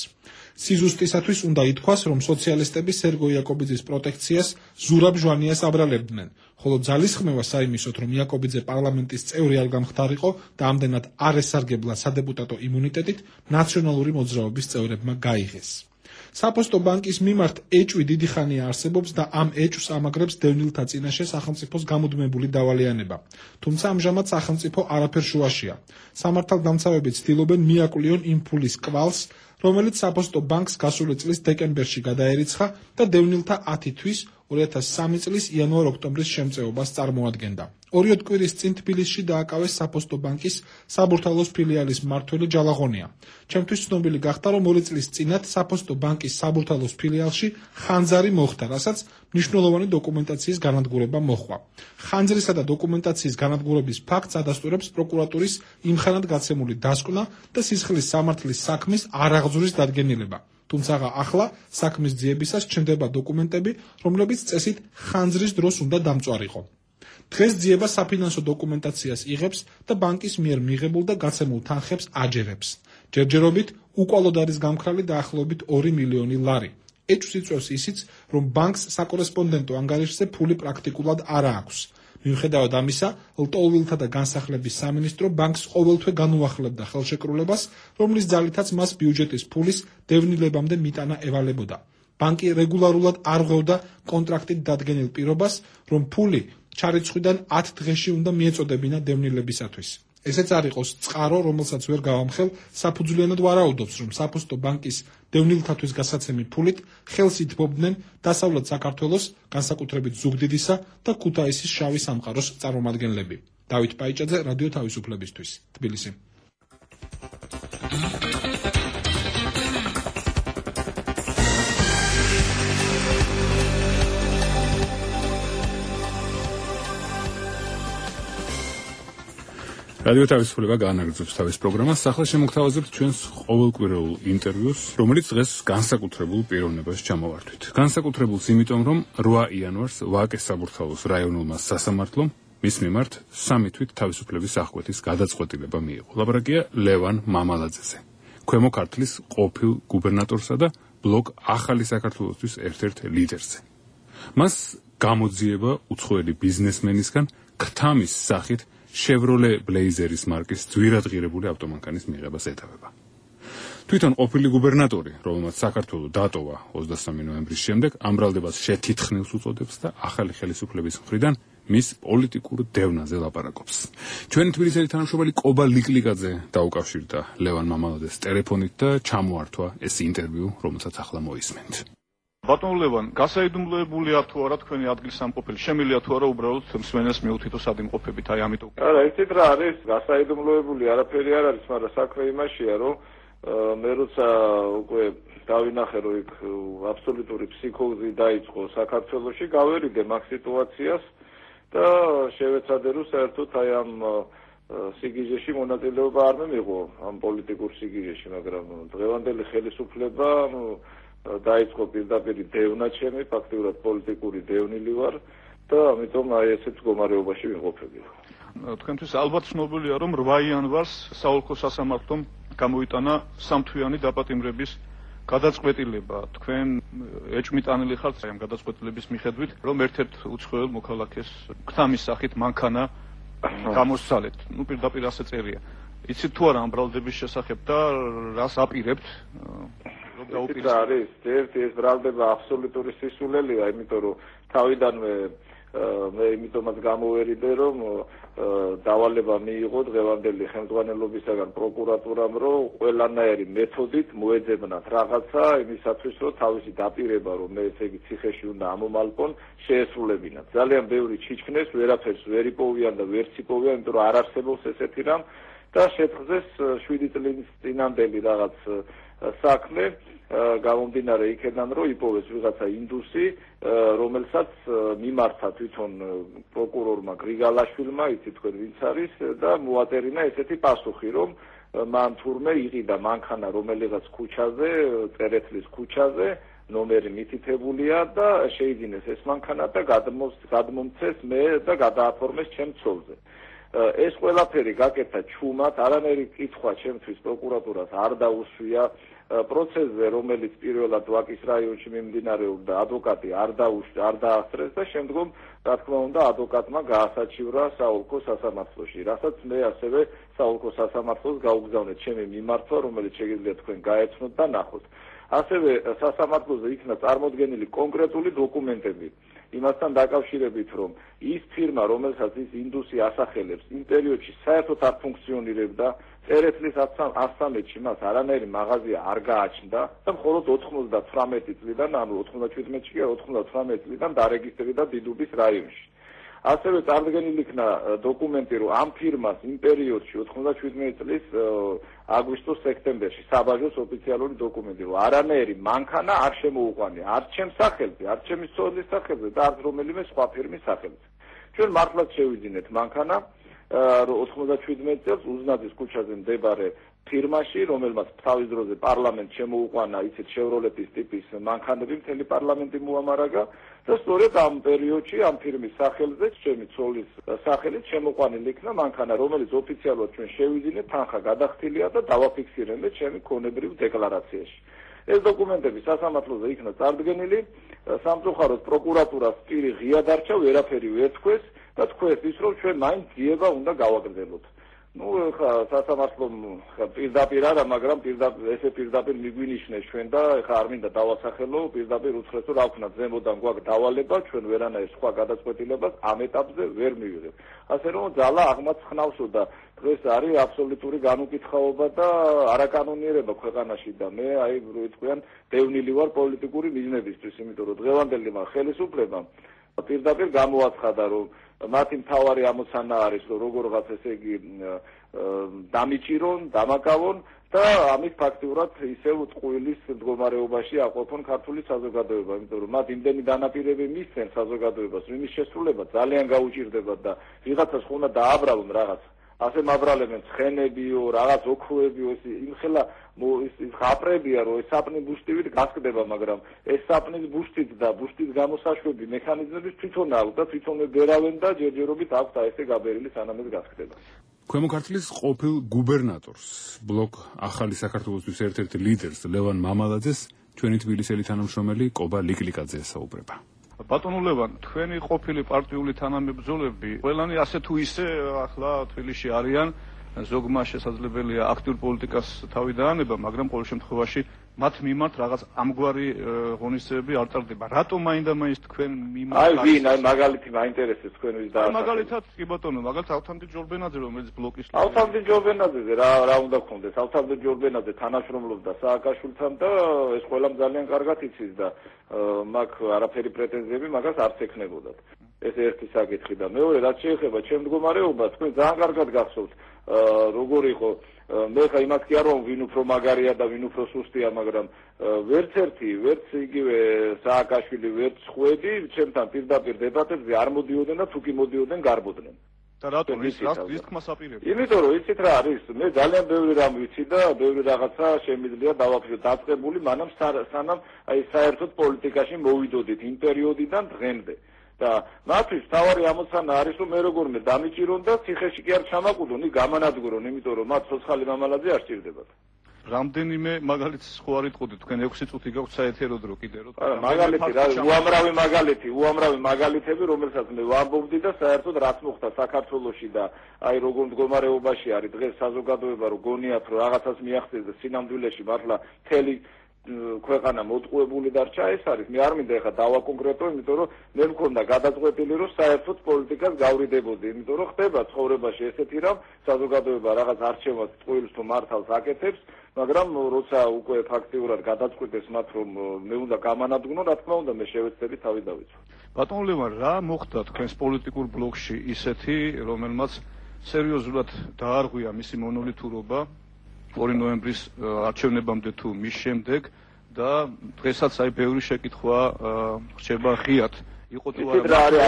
სიზუსტისათვის უნდა ითქვას, რომ სოციალისტები სერგო იაკობიძის პროტექციას ზურაბ ჟვანიას აბრალებდნენ, ხოლო ძალისხმევა საიმისოდ, რომ იაკობიძე პარლამენტის წევრი არ გამხდარიყო და ამდენად არ ესარგებლა სადეპუტატო იმუნიტეტით, ნაციონალური მოძრაობის წევრებმა გაიღეს. საფოსტო ბანკის მიმართ ეჭვი დიდი ხანია არსებობს და ამ ეჭვს ამაგრებს დევნილთა წინაშე სახელმწიფოს გამუდმებული დავალიანება. თუმცა ამჟამად სახელმწიფო არაფერ შუაშია. სამართალდამცავები ცდილობენ მიაკვლიონ იმ ფულის კვალს, რომელიც საფოსტო ბანკს გასული წლის დეკემბერში გადაერიცხა და დევნილთა 10 თვის 2003 წლის იანვარ-ოქტომბრის შემწეობას წარმოადგენდა. 2 კვირის წინ თბილისში დააკავეს საფოსტო ბანკის საბურთალოს ფილიალის მმართველი ჯალაღონია. ჩემთვის ცნობილი გახდა, რომ 2 წლის წინათ საფოსტო ბანკის საბურთალოს ფილიალში ხანძარი მოხდა, რასაც მნიშვნელოვანი დოკუმენტაციის განადგურება მოჰყვა. ხანძრისა და დოკუმენტაციის განადგურების ფაქტს ადასტურებს პროკურატურის იმხანად გაცემული დასკვნა და სისხლის სამართლის საქმის არაღძურის დადგენილება. თუმცა ახლა საქმის ძიებისას ჩნდება დოკუმენტები, რომლებიც წესით ხანძრის დროს უნდა დამწვარიყო. დღეს ძიება საფინანსო დოკუმენტაციას იღებს და ბანკის მიერ მიღებულ და გაცემულ თანხებს აჯერებს. ჯერჯერობით უკვალოდ არის გამქრალი დაახლოებით 2 მილიონი ლარი. ეჭვს იწვევს ისიც, რომ ბანკს საკორესპონდენტო ანგარიშზე ფული პრაქტიკულად არ აქვს. მიუხედავად ამისა, ლტოლვილთა და განსახლების სამინისტრო ბანკს ყოველთვე განუახლებდა ხელშეკრულებას, რომლის ძალითაც მას ბიუჯეტის ფულის დევნილებამდე მიტანა ევალებოდა. ბანკი რეგულარულად არ ღვევდა კონტრაქტით დადგენილ პირობას, რომ ფული ჩარიცხვიდან 10 დღეში უნდა მიეწოდებინა დევნილებისათვის. ესეც არ იყოს წყარო, რომელსაც ვერ გავამხელ, საფუძვლიანად ვარაუდობს, რომ საფოსტო ბანკის დევნილთათვის გასაცემი ფულით ხელს ითბობდნენ დასავლეთ საქართველოს, განსაკუთრებით ზუგდიდისა და ქუთაისის შავი სამყაროს წარმომადგენლები. დავით პაიჭაძე, რადიო თავისუფლებისთვის, თბილისი. რადიო თავისუფლება განაგრძობს თავის პროგრამას. ახლა შემოგთავაზებთ ჩვენს ყოველკვირეულ ინტერვიუს, რომელიც დღეს განსაკუთრებულ პიროვნებას ჩამოვართვით. განსაკუთრებულს იმიტომ, რომ 8 იანვარს ვაკეს საბურთალოს რაიონულმა სასამართლომ მის მიმართ 3 თვით თავისუფლების აღკვეთის გადაწყვეტილება მიიღო. ლაპარაკია ლევან მამალაძეზე, ქვემო ქართლის ყოფილ გუბერნატორსა და ბლოკ ახალი საქართველოსთვის ერთ-ერთ ლიდერზე. მას გამოძიება უცხოელი ბიზნესმენისგან ქთამის სახით Chevrolet Blazeris მარკის ძვირადღირებული ავტომანქანის მიღებას ეთავება. თვითონ ყოფილი გუბერნატორი, რომელმაც საქართველო დატოვა 23 ნოემბრის შემდეგ, ამ ბრალდებას შეთითხნილს უწოდებს და ახალი ხელისუფლების მხრიდან მის პოლიტიკურ დევნაზე ლაპარაკობს. ჩვენი თბილისელი თანამშრომელი კობა ლიკლიკაძე დაუკავშირდა ლევან მამალაძეს ტელეფონით და ჩამოართვა ეს ინტერვიუ, რომელსაც ახლა მოისმენთ. ბატონ ლევან, გასაიდუმლოებულია თუ არა თქვენი ადგილსამყოფელი? შემიძლია თუ არა უბრალოდ მსმენელს მიუთითო სად იმყოფებით, აი ამიტომ. არა, იცით რა არის, გასაიდუმლოებული არაფერი არ არის, მაგრამ საქმე იმაშია, რომ მე როცა უკვე დავინახე, რომ იქ აბსოლუტური ფსიქოზი დაიწყო საქართველოში, გავერიდე მაგ სიტუაციას და შევეცადე, რომ საერთოდ აი ამ სიგიჟეში მონაწილეობა არ მიიღო, ამ პოლიტიკურ სიგიჟეში, მაგრამ დღევანდელი ხელისუფლება დაიწყო პირდაპირ დევნა ჩემი, ფაქტიურად პოლიტიკური დევნილი ვარ და ამიტომ აი ესეთ მდგომარეობაში ვიმყოფები. თქვენთვის ალბათ ცნობილია, რომ 8 იანვარს საოლქო სასამართლომ გამოიტანა 3 თვიანი დაპატიმრების გადაწყვეტილება. თქვენ ეჭვმიტანილი ხართ ამ გადაწყვეტილების მიხედვით, რომ ერთ-ერთ უცხოელ მოქალაქეს ქთამის სახით მანქანა გამოსცალეთ. ნუ პირდაპირ ასე წერია. იცით თუ არა ამ ბრალდების შესახებ და რას აპირებთ? დაუპირისპირდება. არის ეს ბრალდება აბსოლუტური სისულელია, იმიტომ რომ თავიდანვე მე იმიტომაც გამოვერიდე რომ დავალება მიიღო დღევანდელი ხელმძღვანელობისაგან პროკურატურამ რომ ყველანაირი მეთოდით მოეძებნათ რაღაცა იმისათვის რომ თავისი დაპირება რომ მე ესე იგი ციხეში უნდა ამომალყონ შეესრულებინათ. ძალიან ბევრი ჩიჩქნეს, ვერაფერს ვერ იპოვიან და ვერც იპოვიან, იმიტომ რომ არ არსებობს ესეთი რამ და შეთხზეს 7 წლის წინანდელი რაღაც საქმე გამომდინარე იქედან რომ იპოვეს ვიღაცა ინდუსი რომელსაც მიმართა თვითონ პროკურორმა გრიგალაშვილმა იცით თქვენ ვინც არის და მოაწერინა ესეთი პასუხი რომ მან თურმე იყიდა მანქანა რომელიღაც ქუჩაზე წერეთლის ქუჩაზე ნომერი მითითებულია და შეიძინეს ეს მანქანა და გადმომცეს მე და გადააფორმეს ჩემ ცოლზე ეს ყველაფერი გაკეთა ჩუმად არანაირი კითხვა ჩემთვის პროკურატურას არ დაუსვია პროცესზე რომელიც პირველად ვაკის რაიონში მიმდინარეობდა ადვოკატი არ დაასწრეს და შემდგომ რა თქმა უნდა ადვოკატმა გაასაჩივრა საოლქო სასამართლოში რასაც მე ასევე საოლქო სასამართლოს გაუგზავნეთ ჩემი მიმართვა რომელიც შეგიძლიათ თქვენ გაეცნოთ და ნახოთ ასევე სასამართლოზე იქნა წარმოდგენილი კონკრეტული დოკუმენტები იმასთან დაკავშირებით რომ ის ფირმა რომელსაც ის ინდუსი ასახელებს იმ პერიოდში საერთოდ არ ფუნქციონირებდა წერეთლის 113-ში მას არანაირი მაღაზია არ გააჩნდა და მხოლოდ 98 წლიდან ანუ 97-ში კი 98 წლიდან დარეგისტრირდა დიდუბის რაიონში ასევე წარდგენილი იქნა დოკუმენტი რომ ამ ფირმას იმ პერიოდში 97 წლის აგვისტოს-სექტემბერში საბაჟოს ოფიციალური დოკუმენტი რომ არანაირი მანქანა არ შემოუყვანია არც ჩემს სახელზე არც ჩემი ცოლის სახელზე და არც რომელიმე სხვა ფირმის სახელზე ჩვენ მართლაც შევიძინეთ მანქანა 97 წელს უზნაძის ქუჩაზე მდებარე ფირმაში რომელმაც თავის დროზე პარლამენტ შემოუყვანა ისეთ შევროლეთის ტიპის მანქანები მთელი პარლამენტი მოამარაგა და სწორედ ამ პერიოდში ამ ფირმის სახელზე ჩემი ცოლის სახელით შემოყვანილი იქნა მანქანა რომელიც ოფიციალურად ჩვენ შევიძინეთ თანხა გადახდილია და დავაფიქსირებთ ჩემი ქონებრივ დეკლარაციაში ეს დოკუმენტები სასამართლოზე იქნა წარდგენილი სამწუხაროდ პროკურატურას პირი ღია დარჩა ვერაფერი ვერ თქვეს და თქვეს ის რომ ჩვენ მაინც ძიება უნდა გავაგრძელოთ ну ხა სასამართლომ პირდაპირ არა მაგრამ პირდაპირ მიგვინიშნეს ჩვენ და ხა არ მინდა დავასახელო პირდაპირ უთხრეს რომ რა ვქნა ზემოდან გვაქვს დავალება ჩვენ ვერანაირ სხვა გადაწყვეტილებას ამ ეტაპზე ვერ მივიღებთ ასე რომ ძალა აღმაცხნავსო და დღეს არის აბსოლუტური განუკითხაობა და არაკანონიერება ქვეყანაში და მე აი როიტყვიან დევნილი ვარ პოლიტიკური მიზნებისთვის იმიტომ რომ დღევანდელი ხელისუფლებამ პირდაპირ გამოაცხადა რომ მათი მთავარი ამოცანა არის რომ როგორღაც ესე იგი დამიჭირონ, დამაკავონ და ამით ფაქტიურად ისევ ტყუილის მდგომარეობაში აყოფონ ქართული საზოგადოება, იმიტომ რომ მათ იმდენი დანაპირები მისცენ საზოგადოებას, რომ იმის შესრულება ძალიან გაუჭირდებათ და ვიღაცას ხომ უნდა დააბრალონ რაღაც. ასე მაბრალებენ ცხენებიო, რაღაც ოქროებიო, იმხელა ის ხაპრებია, რომ ეს საპნი ბუშტივით გასკდება, მაგრამ ეს საპნის ბუშტით და ბუშტის გამოსაშვები მექანიზმები თვითონ აქვს და თვითონვე ბერავენ და ჯერჯერობით აქვს ესე გაბერილი სანამ ეს გასკდება. ქვემო ქართლის ყოფილ გუბერნატორს, ბლოკ ახალი საქართველოსთვის ერთ-ერთ ლიდერს ლევან მამალაძეს ჩვენი თბილისელი თანამშრომელი კობა ლიკლიკაძე ესაუბრება. ბატონო ლევან, თქვენი ყოფილი პარტიული თანამებრძოლები ყველანი ასე თუ ისე ახლა თბილისში არიან, ზოგმა შესაძლებელია აქტიურ პოლიტიკას თავი დაანება, მაგრამ ყოველ შემთხვევაში მათ მიმართ რაღაც ამგვარი ღონისძიებები არ ტარდება. რატომ მაინდა-მაინც თქვენ მიმართ აი ვინ, აი მაგალითი მაინტერესებს თქვენ ვის და მაგალითად კი ბატონო, მაგალითად ავთანდილ ჯორბენაძე რომელიც ბლოკის ავთანდილ ჯორბენაძეზე რა უნდა გქონდეს? ავთანდილ ჯორბენაძე თანამშრომლობდა სააკაშვილთან და ეს ყველამ ძალიან კარგად იცის და მაგ არაფერი პრეტენზიები მაგას არც ექნებოდათ. ეს ერთი საკითხი და მეორე რაც შეეხება ჩემ მდგომარეობას, თქვენ ძალიან კარგად გახსოვთ როგორ იყო მე ხა იმას კი არ ვამბობ ვინ უფრო მაგარია და ვინ უფრო სუსტია, მაგრამ ვერც ერთი, ვერც იგივე სააკაშვილი, ვერც ხვედი ჩემთან პირდაპირ დებატებზე არ მოდიოდნენ და თუ კი მოდიოდნენ გარბოდნენ. და რატომ ის თქმას აპირებდა? იმიტომ რომ იცით რა არის, მე ძალიან ბევრი რამ ვიცი და ბევრი რაღაცა შემიძლია დავაფიქრო დაწყებული, მანამ სანამ აი საერთოდ პოლიტიკაში მოვიდოდით იმ პერიოდიდან დღემდე. და მათთვის თავარი ამოცანა არის რომ მე როგორმე დამიჭირონ და ციხეში კი არ ჩამაკვდონ, გამანადგურონ, იმიტომ რომ მათ ცოცხალი მამალაძე არ სჭირდებათ. რამდენიმე მაგალითს ხო არ იტყოდით თქვენ 6 წუთი გაქვთ საეთერო დრო კიდე რომ მაგალითი რა უამრავი მაგალითები რომელსაც მე ვამბობდი და საერთოდ რაც მოხდა საქართველოში და აი როგორ მდგომარეობაში არის დღეს საზოგადოება რომ გონიათ რომ რაღაცას მიაღწიეს და სინამდვილეში მართლა მთელი ქვეყანა მოტყუებული დარჩა, ეს არის. მე არ მინდა ეხლა დავაკონკრეტო, იმიტომ რომ მე მქონდა გადაწყვეტილი, რომ საერთოდ პოლიტიკას გავრიდებოდი, იმიტომ რომ ხდება ცხოვრებაში ესეთი რამ, საზოგადოება რაღაც არჩევას წყვილს თუ მართალს აკეთებს, მაგრამ როცა უკვე ფაქტიურად გადაწყვეტეს მათ, რომ მე უნდა გამანადგნო, რა თქმა უნდა, მე შევეცდები თავი დავიცვა. ბატონ ლევან, რა მოხდა თქვენს პოლიტიკურ ბლოკში ისეთი, რომელმაც სერიოზულად დაარღვია მისი მონოლითურობა 2 ნოემბრის არჩევნებამდე თუ მის შემდეგ და დღესაც აი ბევრი შეკითხვა რჩება ღიად. იყო თუ არა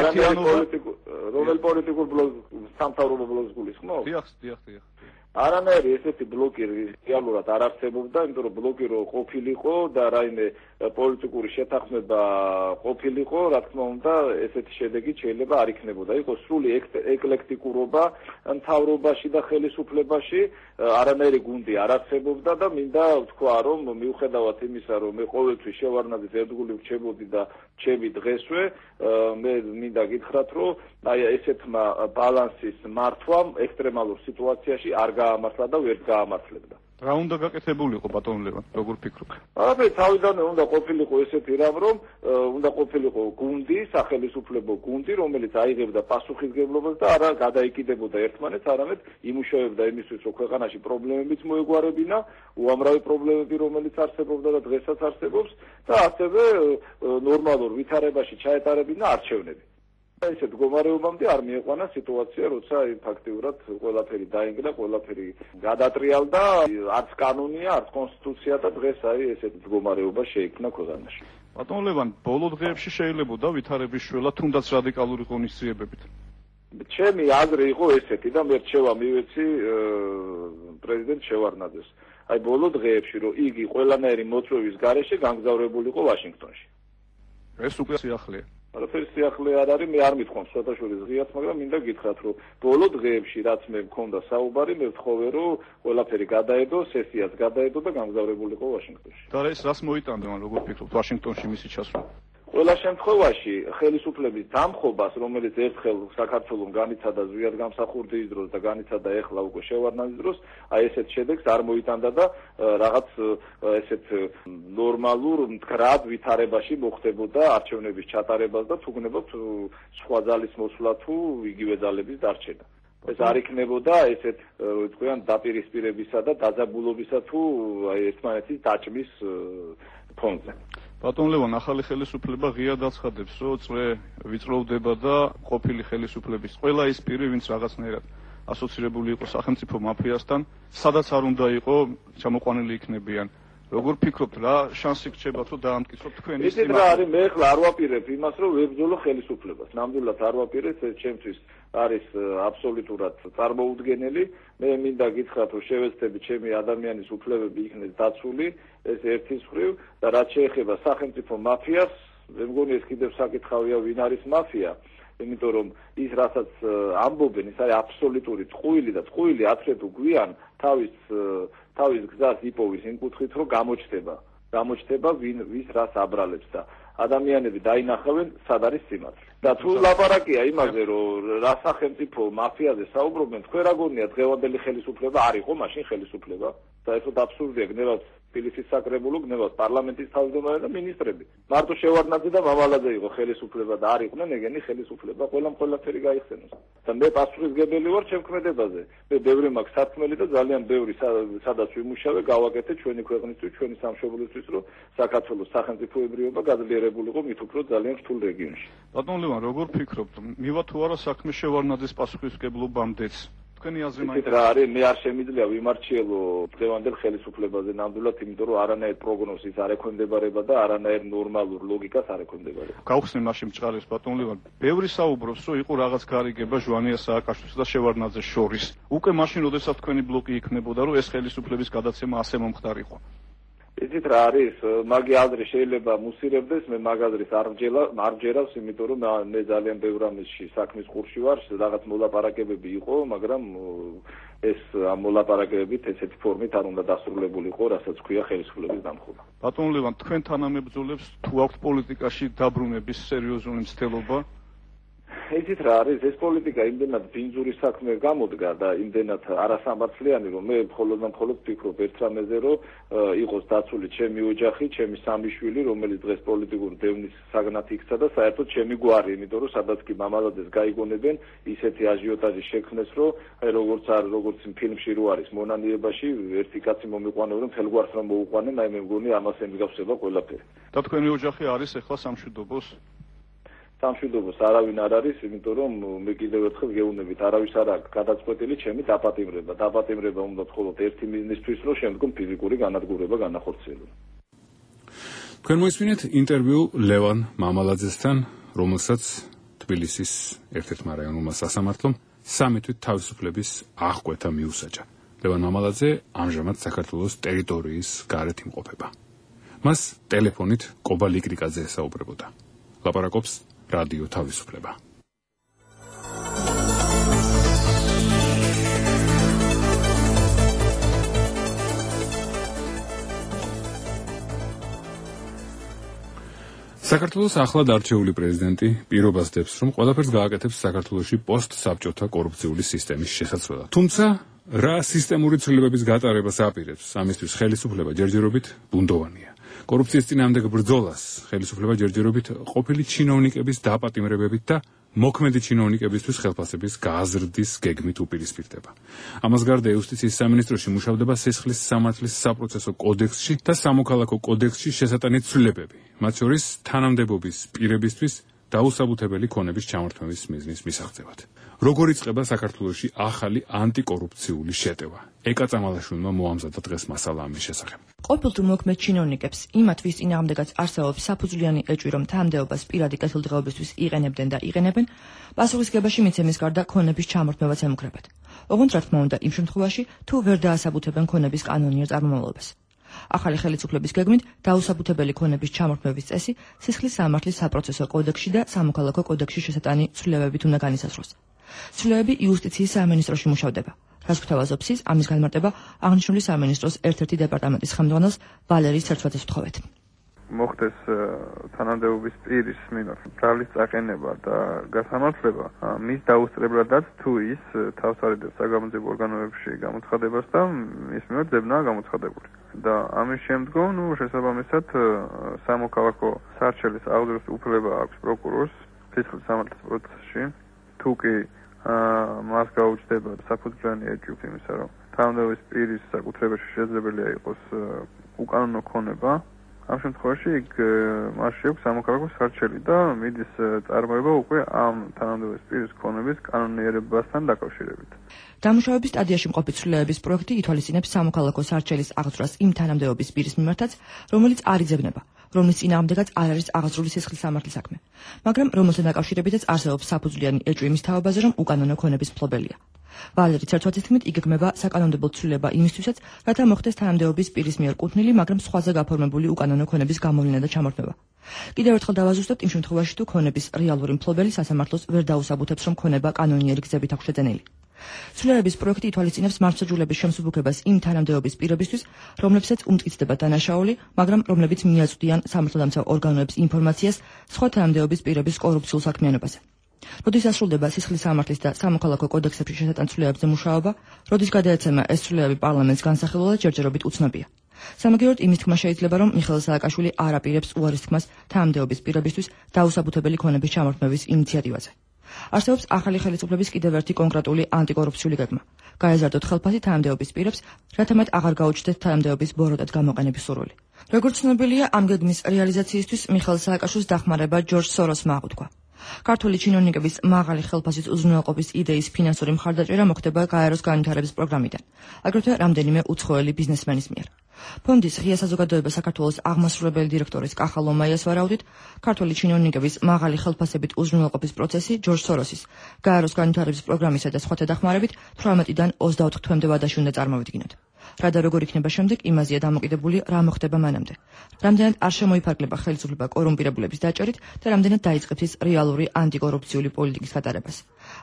რომელ პოლიტიკურ ბლოკს სამთავრობო ბლოკს გულისხმობ? დიახ. არანაირი ესეთი ბლოკი რეალურად არ არსებობდა, იმიტომ რომ ბლოკი რო ყოფილიყო და რაიმე პოლიტიკური შეთანხმება ყოფილიყო, რა თქმა უნდა, ესეთი შედეგი შეიძლება არ იქნებოდა. იყო სრული ეკლექტიკურობა მთავრობაში და ხელისუფლებაში, არანაირი გუნდი არ არსებობდა და მინდა ვთქვა, რომ მიუხედავად იმისა, რომ მე ყოველთვის შევარნაძის ერთგული ვრჩებოდი და ჩემი დღესვე, მე მინდა გითხრათ, რომ აი ესეთმა ბალანსის მართვამ ექსტრემალურ სიტუაციაში არ გაამართლა და ვერ გაამართლებდა. რა უნდა გაკეთებულიყო ბატონ ლევან, როგორ ფიქრობ? არაფერი, თავიდანვე უნდა ყოფილიყო ესეთი რამ, რომ უნდა ყოფილიყო გუნდი, სახელისუფლებო გუნდი, რომელიც აიღებდა პასუხისგებლობას და არა გადაიკიდებოდა ერთმანეთს, არამედ იმუშავებდა იმისთვის, რომ ქვეყანაში პრობლემებიც მოეგვარებინა, უამრავი პრობლემები, რომელიც არსებობდა და დღესაც არსებობს და ასევე ნორმალურ ვითარებაში ჩაეტარებინა არჩევნები. ესეთ მდგომარეობამდე არ მieყვანა სიტუაცია, როცა ფაქტიურად ყველაფერი დაინგრა, ყველაფერი გადატრიალდა, არც კანონია, არც კონსტიტუცია და დღეს აი ესეთ მდგომარეობა შეიქმნა ქვეყანაში. ბატონ ლევან, ბოლო დღეებში შეიძლებოდა ვითარების შველა თუნდაც რადიკალური ღონისძიებებით. ჩემი აზრი იყო ესეთი და მე რჩევა მივეცი პრეზიდენტ შევარნაძეს. აი ბოლო დღეებში, რომ იგი ყველანაირი მოწვევის გარეშე განგზავრებულიყო ვაშინგტონში. ეს უკვე სიახლეა. არაფერი სიახლე არ არის, მე არ მithქვამს სხვადასხვა ღიად, მაგრამ მინდა გითხრათ, რომ ბოლო დღეებში რაც მე მქონდა საუბარი, მე ვთხოვე, რომ ყველაფერი გადაედო, სესიაც გადაედო და გამგზავრებულიყო ვაშინგტონში. და ეს რას მოიტანდა, როგორ ფიქრობთ, ვაშინგტონში მისი ჩასვლა? ყველა შემთხვევაში ხელისუფლების დამხობას, რომელიც ერთხელ საქართველოს განიცადა ზვიად გამსახურდის დროს და განიცადა ეხლა უკვე შევარნაძის დროს, აი ესეთ შედეგს არ მოიტანდა და რაღაც ესეთ ნორმალურ მდგრად ვითარებაში მოხდებოდა არჩევნების ჩატარებას და თუ გნებობთ სხვა ძალის მოსვლა თუ იგივე ძალების დარჩენა. ეს არ იქნებოდა ესეთ თქვენ დაპირისპირებისა და დაძაბულობისა თუ აი ერთმანეთის დაჭმის ფონზე. ბატონ ლევან, ახალი ხელისუფლება ღიად აცხადებს, რომ წრე ვიწროვდება და ყოფილი ხელისუფლების ყველა ის პირი, ვინც რაღაცნაირად ასოცირებული იყო სახელმწიფო მაფიასთან, სადაც არ უნდა იყო ჩამოყვანილი იქნებიან. როგორ ფიქრობთ, რა შანსი გრჩებათ, რომ დაამტკიცოთ თქვენი ის რა არის, მე ახლა არ ვაპირებ იმას, რომ ვებრძოლო ხელისუფლებას. ნამდვილად არ ვაპირებ, ეს ჩემთვის არის აბსოლუტურად წარმოუდგენელი. მე მინდა გითხრათ, რომ შევეცდები ჩემი ადამიანის უფლებები იქნეს დაცული, ეს ერთის მხრივ და რაც შეეხება სახელმწიფო მაფიას, მე მგონი ეს კიდევ საკითხავია, ვინ არის მაფია. იმიტომ რომ ის რასაც ამბობენ, ის არის აბსოლუტური წყვილი და წყვილი აცრე თუ გვიან თავის გზას იპოვის იმ კუთხით, რომ გამოჩნდება ვის რას აბრალებს და ადამიანები დაინახავენ სად არის სიმართლე. და თუ ლაპარაკია იმაზე, რომ რა სახელმწიფო მაფიაზე საუბრობენ, თქვენ რა გონია დღევანდელი ხელისუფლება არ იყო მაშინ ხელისუფლება? საერთოდ აბსურდია, გნევავთ თბილისის საკრებულო, გნევავთ პარლამენტის თავმჯდომარე და მინისტრები. მარტო შევარნაძე და მამალაძე იყო ხელისუფლება და არ იყვნენ ეგენი ხელისუფლება, ყველაფერი გაიხსენოს. და მე პასუხისმგებელი ვარ ჩემ ქმედებაზე. მე ბევრი მაქვს სათქმელი და ძალიან ბევრი სადაც ვიმუშავე, გავაკეთე ჩვენი ქვეყნისთვის, ჩვენი სამშობლოსთვის, რომ საქართველოს სახელმწიფოებრიობა გაძლიერებულიყო მით უფრო ძალიან რთულ რეგიონში. ბატონ ლევან, როგორ ფიქრობთ, მივა თუ არა საქმე შევარნაძის პასუხისმგებლობამდეც? თქვენი აზრი მაინც რა არის, მე არ შემიძლია ვიმარჩიელო დღევანდელ ხელისუფლებაზე ნამდვილად, იმიტომ რომ არანაირ პროგნოზის არ ექვემდებარება და არანაირ ნორმალურ ლოგიკას არ ექვემდებარება. გავხსნე მაშინ მჭყარებს ბატონ ლევან, ბევრი საუბრობს, რომ იყო რაღაც გარიგება ჟვანია სააკაშვილის და შევარნაძეს შორის. უკვე მაშინ, როდესაც თქვენი ბლოკი იქნებოდა, რომ ეს ხელისუფლების გადაცემა ასე მომხდარიყო. იცით რა არის, მაგი აზრი შეიძლება მუსირებდეს, მე მაგ აზრის არ ვჯერავს, იმიტომ რომ მე ძალიან ბევრ ამისში საქმის ყურში ვარ, რაღაც მოლაპარაკებები იყო, მაგრამ ეს ამ მოლაპარაკებებით ესეთი ფორმით არ უნდა დასრულებულიყო, რასაც ქვია ხელისუფლების დამხობა. ბატონ ლევან, თქვენ თანამებრძოლებს თუ აქვთ პოლიტიკაში დაბრუნების სერიოზული მცდელობა? იცით რა არის ეს პოლიტიკა იმდენად ბინძური საქმე გამოდგა და იმდენად არასამართლიანი რომ მე მხოლოდ ვფიქრობ ერთ რამეზე რომ იყოს დაცული ჩემი ოჯახი, ჩემი სამი შვილი, რომელიც დღეს პოლიტიკური დევნის საგნად იქცა და საერთოდ ჩემი გვარი, იმიტომ რომ სადაც კი მამალაძეს გაიგონებენ, ისეთი აჟიოტაჟი შექმნეს, რომ აი როგორც ფილმში რო არის მონანიებაში ერთი კაცი მომიყვანებენ, მთელ გვარს რომ მოუყვანენ, აი მე მგონი ამას ემსგავსება ყველაფერი. და თქვენი ოჯახი არის ახლა სამშვიდობოს? სამშვიდობოს არავინ არ არის, იმიტომ რომ მე კიდევ ერთხელ გეუბნებით, არავის არ აქვს გადაწყვეტილი ჩემი დაპატიმრება. დაპატიმრება უნდა მხოლოდ ერთი მიზნისთვის, რომ შემდგომ ფიზიკური განადგურება განახორციელოს. თქვენ მოისმინეთ ინტერვიუ ლევან მამალაძესთან, რომელსაც თბილისის ერთ-ერთმა რაიონულმა სასამართლომ 3 თვით თავისუფლების აღკვეთა მიუსაჯა. ლევან მამალაძე ამჟამად საქართველოს ტერიტორიის გარეთ იმყოფება. მას ტელეფონით კობა ლიკრიკაძე ესაუბრებოდა. ლაპარაკობს რადიო თავისუფლება. საქართველოს ახლად არჩეული პრეზიდენტი პირობას დებს, რომ ყველაფერს გააკეთებს საქართველოში პოსტსაბჭოთა კორუფციული სისტემის შესაცვლელად. თუმცა რა სისტემური ცვლილებების გატარებას აპირებს, ამისთვის ხელისუფლება ჯერჯერობით ბუნდოვანია. კორუფციის წინააღმდეგ ბრძოლას ხელისუფლება ჯერჯერობით ყოფილი ჩინოვნიკების დაპატიმრებებით და მოქმედი ჩინოვნიკებისთვის ხელფასების გაზრდის გეგმით უპირისპირდება. ამას გარდა იუსტიციის სამინისტროში მუშავდება სისხლის სამართლის საპროცესო კოდექსში და სამოქალაქო კოდექსში შესატანი ცვლილებები, მათ შორის თანამდებობის პირებისთვის დაუსაბუთებელი ქონების ჩამორთმევის მიზნის მისაღწევად. როგორ იწყება საქართველოში ახალი ანტიკორუფციული შეტევა? ეკა წამალაშვილმა მოამზადა დღეს მასალა ამის შესახებ. ყოფილ მოქმედ ჩინოვნიკებს, იმათთვის წინააღმდეგაც არსებობს საფუძვლიანი ეჭვი, რომ თანამდებობას პირადი კეთილდღეობისთვის იყენებდნენ და იყენებენ, პასუხისგებაში მიცემის გარდა ქონების ჩამორთმევაც ემუქრებათ. ოღონდ რა თქმა უნდა, იმ შემთხვევაში, თუ ვერ დაასაბუთებენ ქონების კანონიერ წარმომავლობას. ახალი ხელისუფლების გეგმით დაუსაბუთებელი ქონების ჩამორთმევის წესი სისხლის სამართლის საპროცესო კოდექსში და სამოქალაქო კოდექსში შესატანი ცვლილებებით უნდა განისაზღვროს. ცვლილებები იუსტიციის სამინისტროში მუშავდება. რაც გვთავაზობს ის, ამის განმარტება აღნიშნული სამინისტროს ერთ-ერთი დეპარტამენტის ხელმძღვანელს ვალერიის ცერცვაძეს ვთხოვეთ. მოხდეს თანამდებობის პირის მიმართ ბრალის წაყენება და გასამართლება მის დაუსწრებლადაც თუ ის თავს არიდებს საგამოძიებო ორგანოებში გამოცხადებას და მის მიმართ ძებნაა გამოცხადებული. და ამის შემდგომ, შესაბამისად, სამოქალაქო სარჩელის აღძრვის უფლება აქვს პროკურორს სისხლის სამართლის პროცესში, თუ კი მას გაუჩნდება საფუძვლიანი ეჭვი იმისა, რომ თანამდებობის პირის საკუთრებაში შესაძლებელია იყოს უკანონო ქონება, ამ შემთხვევაში იქ მასში აქვს სამოქალაქო სარჩელი და მიდის წარმოება უკვე ამ თანამდებობის პირის ქონების კანონიერებასთან დაკავშირებით. დამუშავების სტადიაში მყოფი ცვლილებების პროექტი ითვალისწინებს სამოქალაქო სარჩელის აღძვრას იმ თანამდებობის პირის მიმართაც, რომელიც არ იძებნება, რომლის წინააღმდეგაც არ არის აღძრული სისხლის სამართლის საქმე, მაგრამ რომელთან დაკავშირებითაც არსებობს საფუძვლიანი ეჭვი იმის თავებაზე, რომ უკანონო ქონების მფლობელია. ვალერი ცერცვაძის თქმით, იგეგმება საკანონმდებლო ცვლილება იმისთვისაც, რათა მოხდეს თანამდებობის პირის მიერ კუთვნილი, მაგრამ სხვაზე გაფორმებული უკანონო ქონების გამოვლინა და ჩამორთმევა. კიდევ ერთხელ დავაზუსტებთ, იმ შემთხვევაში თუ ქონების რეალური მფლობელი სასამართლოს ვერ დაუსაბუთებს, რომ ქონება კანონიერი გზებით აქვს შეძენილი. ცვლილებების პროექტი ითვალისწინებს მართლმსაჯულების შემსუბუქებას იმ თანამდებობის პირებისთვის, რომლებსაც უმტკიცდება დანაშაული, მაგრამ რომლებიც მიაწვდიან სამართალდამცავ ორგანოებს ინფორმაციას სხვა თანამდებობის პირების კორუფციულ საქმიანობაზე. როდის დასრულდება სისხლის სამართლის და სამოქალაქო კოდექსებში შესატან ცვლილებებზე მუშაობა, როდის გადაეცემა ეს ცვლილებები პარლამენტს განსახილველად ჯერჯერობით უცნობია. სამაგიეროდ იმის თქმა შეიძლება, რომ მიხეილ სააკაშვილი არ აპირებს უარის თქმას თანამდებობის პირებისთვის დაუსაბუთებელი ქონების ჩამორთმევის ინიციატივაზე. არსებობს ახალი ხელისუფლების კიდევ ერთი კონკრეტული ანტიკორუფციული გეგმა. გაეზარდოთ ხელფასი თანამდებობის პირებს, რათა მათ აღარ გაუჩნდეთ თანამდებობის ბოროტად გამოყენების სურვილი. როგორც ცნობილია, ამ გეგმის რეალიზაციისთვის მიხეილ სააკაშვილის დახმარება ჯორჯ სოროსმა აღუთქვა. ქართული ჩინოვნიკების მაღალი ხელფასის უზრუნველყოფის იდეის ფინანსური მხარდაჭერა მოხდება გაეროს განვითარების პროგრამიდან, აგრეთვე რამდენიმე უცხოელი ბიზნესმენის მიერ. ფონდის ღია საზოგადოება საქართველოს აღმასრულებელი დირექტორის კახა ლომაიას ვარაუდით, ქართული ჩინოვნიკების მაღალი ხელფასებით უზრუნველყოფის პროცესი ჯორჯ სოროსის გაეროს განვითარების პროგრამისა და სხვათა დახმარებით 18-დან 24 თვემდე ვადაში უნდა წარმოვიდგინოთ. რა და როგორ იქნება შემდეგ, იმაზეა დამოკიდებული, რა მოხდება მანამდე. რამდენად არ შემოიფარგლება ხელისუფლება კორუმპირებულების დაჭერით და რამდენად დაიწყებს ის რეალური ანტიკორუფციული პოლიტიკის გატარებას.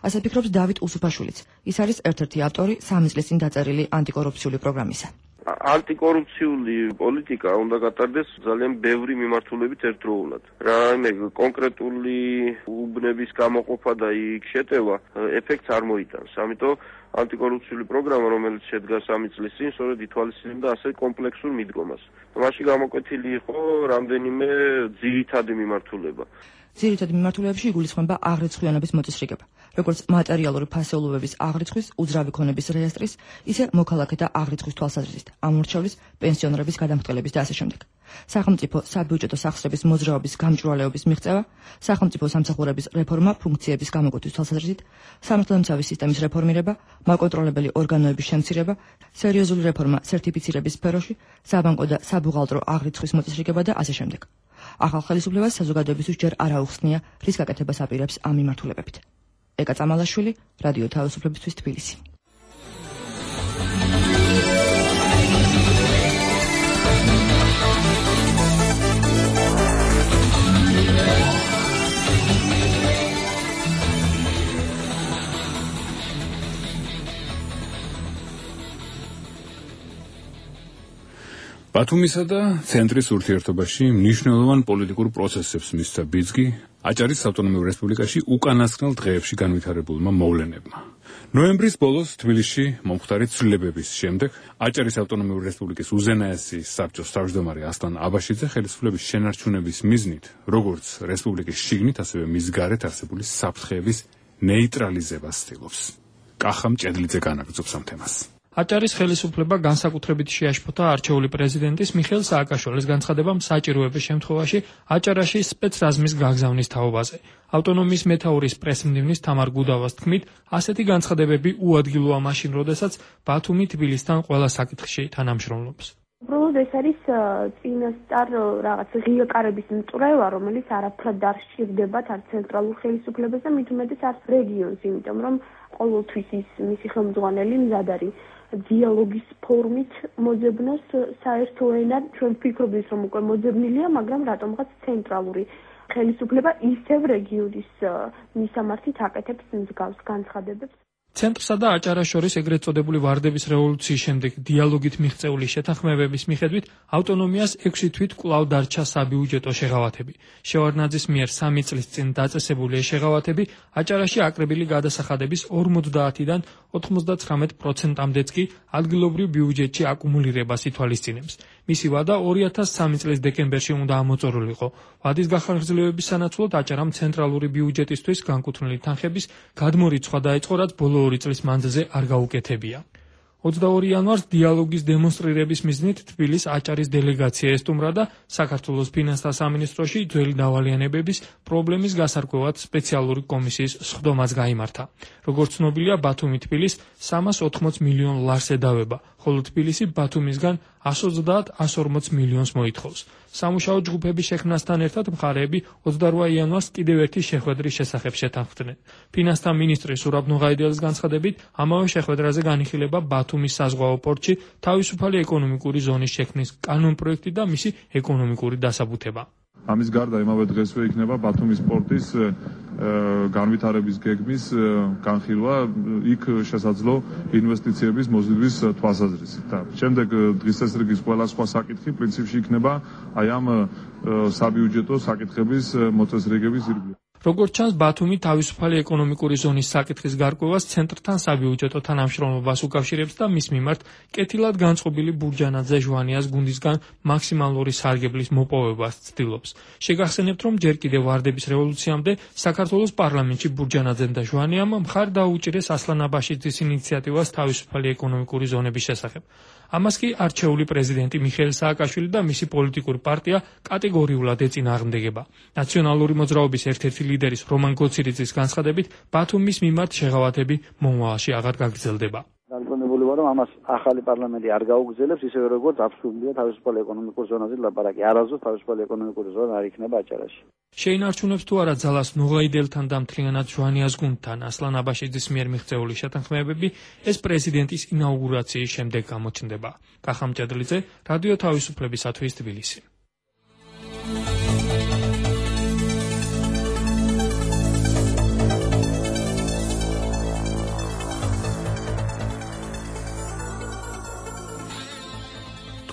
ასე ფიქრობს დავით უსუფაშვილიც. ის არის ერთ-ერთი ავტორი 3 წლის წინ დაწერილი ანტიკორუფციული პროგრამისა. ანტიკორუფციული პოლიტიკა უნდა გატარდეს ძალიან ბევრი მიმართულებით ერთდროულად. რაიმე კონკრეტული უბნების გამოყოფა და იქ შეტევა ეფექტს არ მოიტანს. ამიტომ ანტიკორუფციული პროგრამა, რომელიც შედგა 3 წლის წინ, სწორედ ითვალისწინებდა ასე კომპლექსურ მიდგომას. მასში გამოკვეთილი იყო რამდენიმე ძირითადი მიმართულება. ძირითადი მიმართულებებში იგულისხმება აღრიცხვიანობის მოწესრიგება, როგორც მატერიალური ფასეულობების აღრიცხვის, უძრავი ქონების რეესტრის, ისე მოქალაქეთა აღრიცხვის თვალსაზრისით, ამორჩევლის, პენსიონერების გადამხდელების და ასე შემდეგ. სახელმწიფო საბიუჯეტო სახსრების მოძრაობის გამჭვირვალეობის მიღწევა, სახელმწიფო სამსახურების რეფორმა ფუნქციების გამოკვეთის თვალსაზრისით, სამართალდამცავი სისტემის რეფორმირება, მაკონტროლებელი ორგანოების შემცირება, სერიოზული რეფორმა სერტიფიცირების სფეროში, საბანკო და საბუღალტრო აღრიცხვის მოწესრიგება და ასე შემდეგ. ახალ ხელისუფლებას საზოგადოებისთვის ჯერ არ აუხსნია, რის გაკეთებას აპირებს ამ მიმართულებებით. ეკა წამალაშვილი, რადიო თავისუფლებისთვის თბილისი. ბათუმისა და ცენტრის ურთიერთობაში მნიშვნელოვან პოლიტიკურ პროცესებს მისცა ბიძგი აჭარის ავტონომიურ რესპუბლიკაში უკანასკნელ დღეებში განვითარებულმა მოვლენებმა. ნოემბრის ბოლოს თბილისში მომხდარი ცვლილებების შემდეგ აჭარის ავტონომიური რესპუბლიკის უზენაესი საბჭოს თავმჯდომარე ასლან აბაშიძე ხელისუფლების შენარჩუნების მიზნით, როგორც რესპუბლიკის შიგნით, ასევე მის გარეთ არსებული საფრთხეების ნეიტრალიზებას ცდილობს. კახამ ჭედლიძე განაგრძობს ამ თემას. აჭარის ხელისუფლება განსაკუთრებით შეაშფოთა არჩეული პრეზიდენტის მიხეილ სააკაშვილის განცხადებამ საჭიროების შემთხვევაში აჭარაში სპეცრაზმის გაგზავნის თაობაზე. ავტონომიის მეთაურის პრესმდივნის თამარ გუდავას თქმით, ასეთი განცხადებები უადგილოა მაშინ, როდესაც ბათუმი თბილისთან ყველა საკითხში თანამშრომლობს. უბრალოდ ეს არის წინასწარ რაღაც ღიაკარების მწვრევა, რომელიც არაფრად არ სჭირდებათ არ ცენტრალურ ხელისუფლებას და მით უმეტეს არც რეგიონს, იმიტომ რომ ყოველთვის ის მისი ხელმძღვანელი მზად არის დიალოგის ფორმით მოძებნოს საერთო ენად. ჩვენ ვფიქრობთ, რომ უკვე მოძებნილია, მაგრამ რატომღაც ცენტრალური ხელისუფლება ისევ რეგიონის მისამართით აკეთებს მსგავს განცხადებებს. ცენტრსა და აჭარას შორის ეგრეთ წოდებული ვარდების რევოლუციის შემდეგ დიალოგით მიღწეული შეთანხმებების მიხედვით ავტონომიას 6 თვით კვლავ დარჩა საბიუჯეტო შეღავათები. შევარდნაძის მიერ 3 წლის წინ დაწესებული ეს შეღავათები აჭარაში აკრებილი გადასახადების 50-დან 99%-მდეც კი ადგილობრივ ბიუჯეტში აკუმულირებას ითვალისწინებს. მისი ვადა 2003 წლის დეკემბერში უნდა ამოწორულიყო. ვადის გახანგრძლივების სანაცვლოდ აჭარამ ცენტრალური ბიუჯეტისთვის განკუთვნილი თანხების გადმორიცხვა დაიწყო, რაც ბოლო 2 წლის მანძილზე არ გაუკეთებია. 22 იანვარს დიალოგის დემონსტრირების მიზნით თბილის აჭარის დელეგაცია ესტუმრა და საქართველოს ფინანსთა სამინისტროში ძველი დავალიანებების პრობლემის გასარკვევად სპეციალური კომისიის სხდომაც გაიმართა. როგორც ცნობილია, ბათუმი თბილის 380 მილიონ ლარს ედავება, ხოლო თბილისი ბათუმისგან 130-140 მილიონს მოითხოვს. სამუშაო ჯგუფების შექმნასთან ერთად მხარეები 28 იანვარს კიდევ ერთი შეხვედრის შესახებ შეთანხმდნენ. ფინანსთა მინისტრი სურაბ ნუღაიდელის განცხადებით, ამავე შეხვედრაზე განიხილება ბათუმის საზღვაო პორტში თავისუფალი ეკონომიკური ზონის შექმნის კანონპროექტი და მისი ეკონომიკური დასაბუთება. ამის გარდა იმავე დღესვე იქნება ბათუმის პორტის განვითარების გეგმის განხილვა, იქ შესაძლო ინვესტიციების მოზიდვის თვალსაზრისით. და შემდეგ დღის წესრიგის ყველა სხვა საკითხი პრინციპში იქნება აი ამ საბიუჯეტო საკითხების მოწესრიგების ირგვლივ. როგორც ჩანს, ბათუმი თავისუფალი ეკონომიკური ზონის საკითხის გარკვევას ცენტრთან საბიუჯეტო თანამშრომლობას უკავშირებს და მის მიმართ კეთილად განწყობილი ბურჯანაძე ჟვანიას გუნდისგან მაქსიმალური სარგებლის მოპოვებას ცდილობს. შეგახსენებთ, რომ ჯერ კიდევ ვარდების რევოლუციამდე საქართველოს პარლამენტში ბურჯანაძემ და ჟვანიამ მხარი დაუჭირეს ასლან აბაშიძის ინიციატივას თავისუფალი ეკონომიკური ზონების შესახებ. ამას კი არჩეული პრეზიდენტი მიხეილ სააკაშვილი და მისი პოლიტიკური პარტია კატეგორიულად ეწინააღმდეგება. ნაციონალური მოძრაობის ერთ-ერთი ლიდერის რომან გოცირიძის განცხადებით, ბათუმის მიმართ შეღავათები მომავალში აღარ გაგრძელდება. განკუთვნებული ვარ, რომ ამას ახალი პარლამენტი არ გაუგრძელებს, ისევე როგორც აბსურდია თავისუფალი ეკონომიკური ზონაზე ლაპარაკი. არასდროს თავისუფალი ეკონომიკური ზონა არ იქნება აჭარაში. შეინარჩუნებს თუ არა ძალას ნუღაიდელთან და მთლიანად ჟვანიას გუნდთან ასლან აბაშიძის მიერ მიღწეული შეთანხმებები, ეს პრეზიდენტის ინაუგურაციის შემდეგ გამოჩნდება. კახამ ჭედლიძე, რადიო თავისუფლებისათვის თბილისი.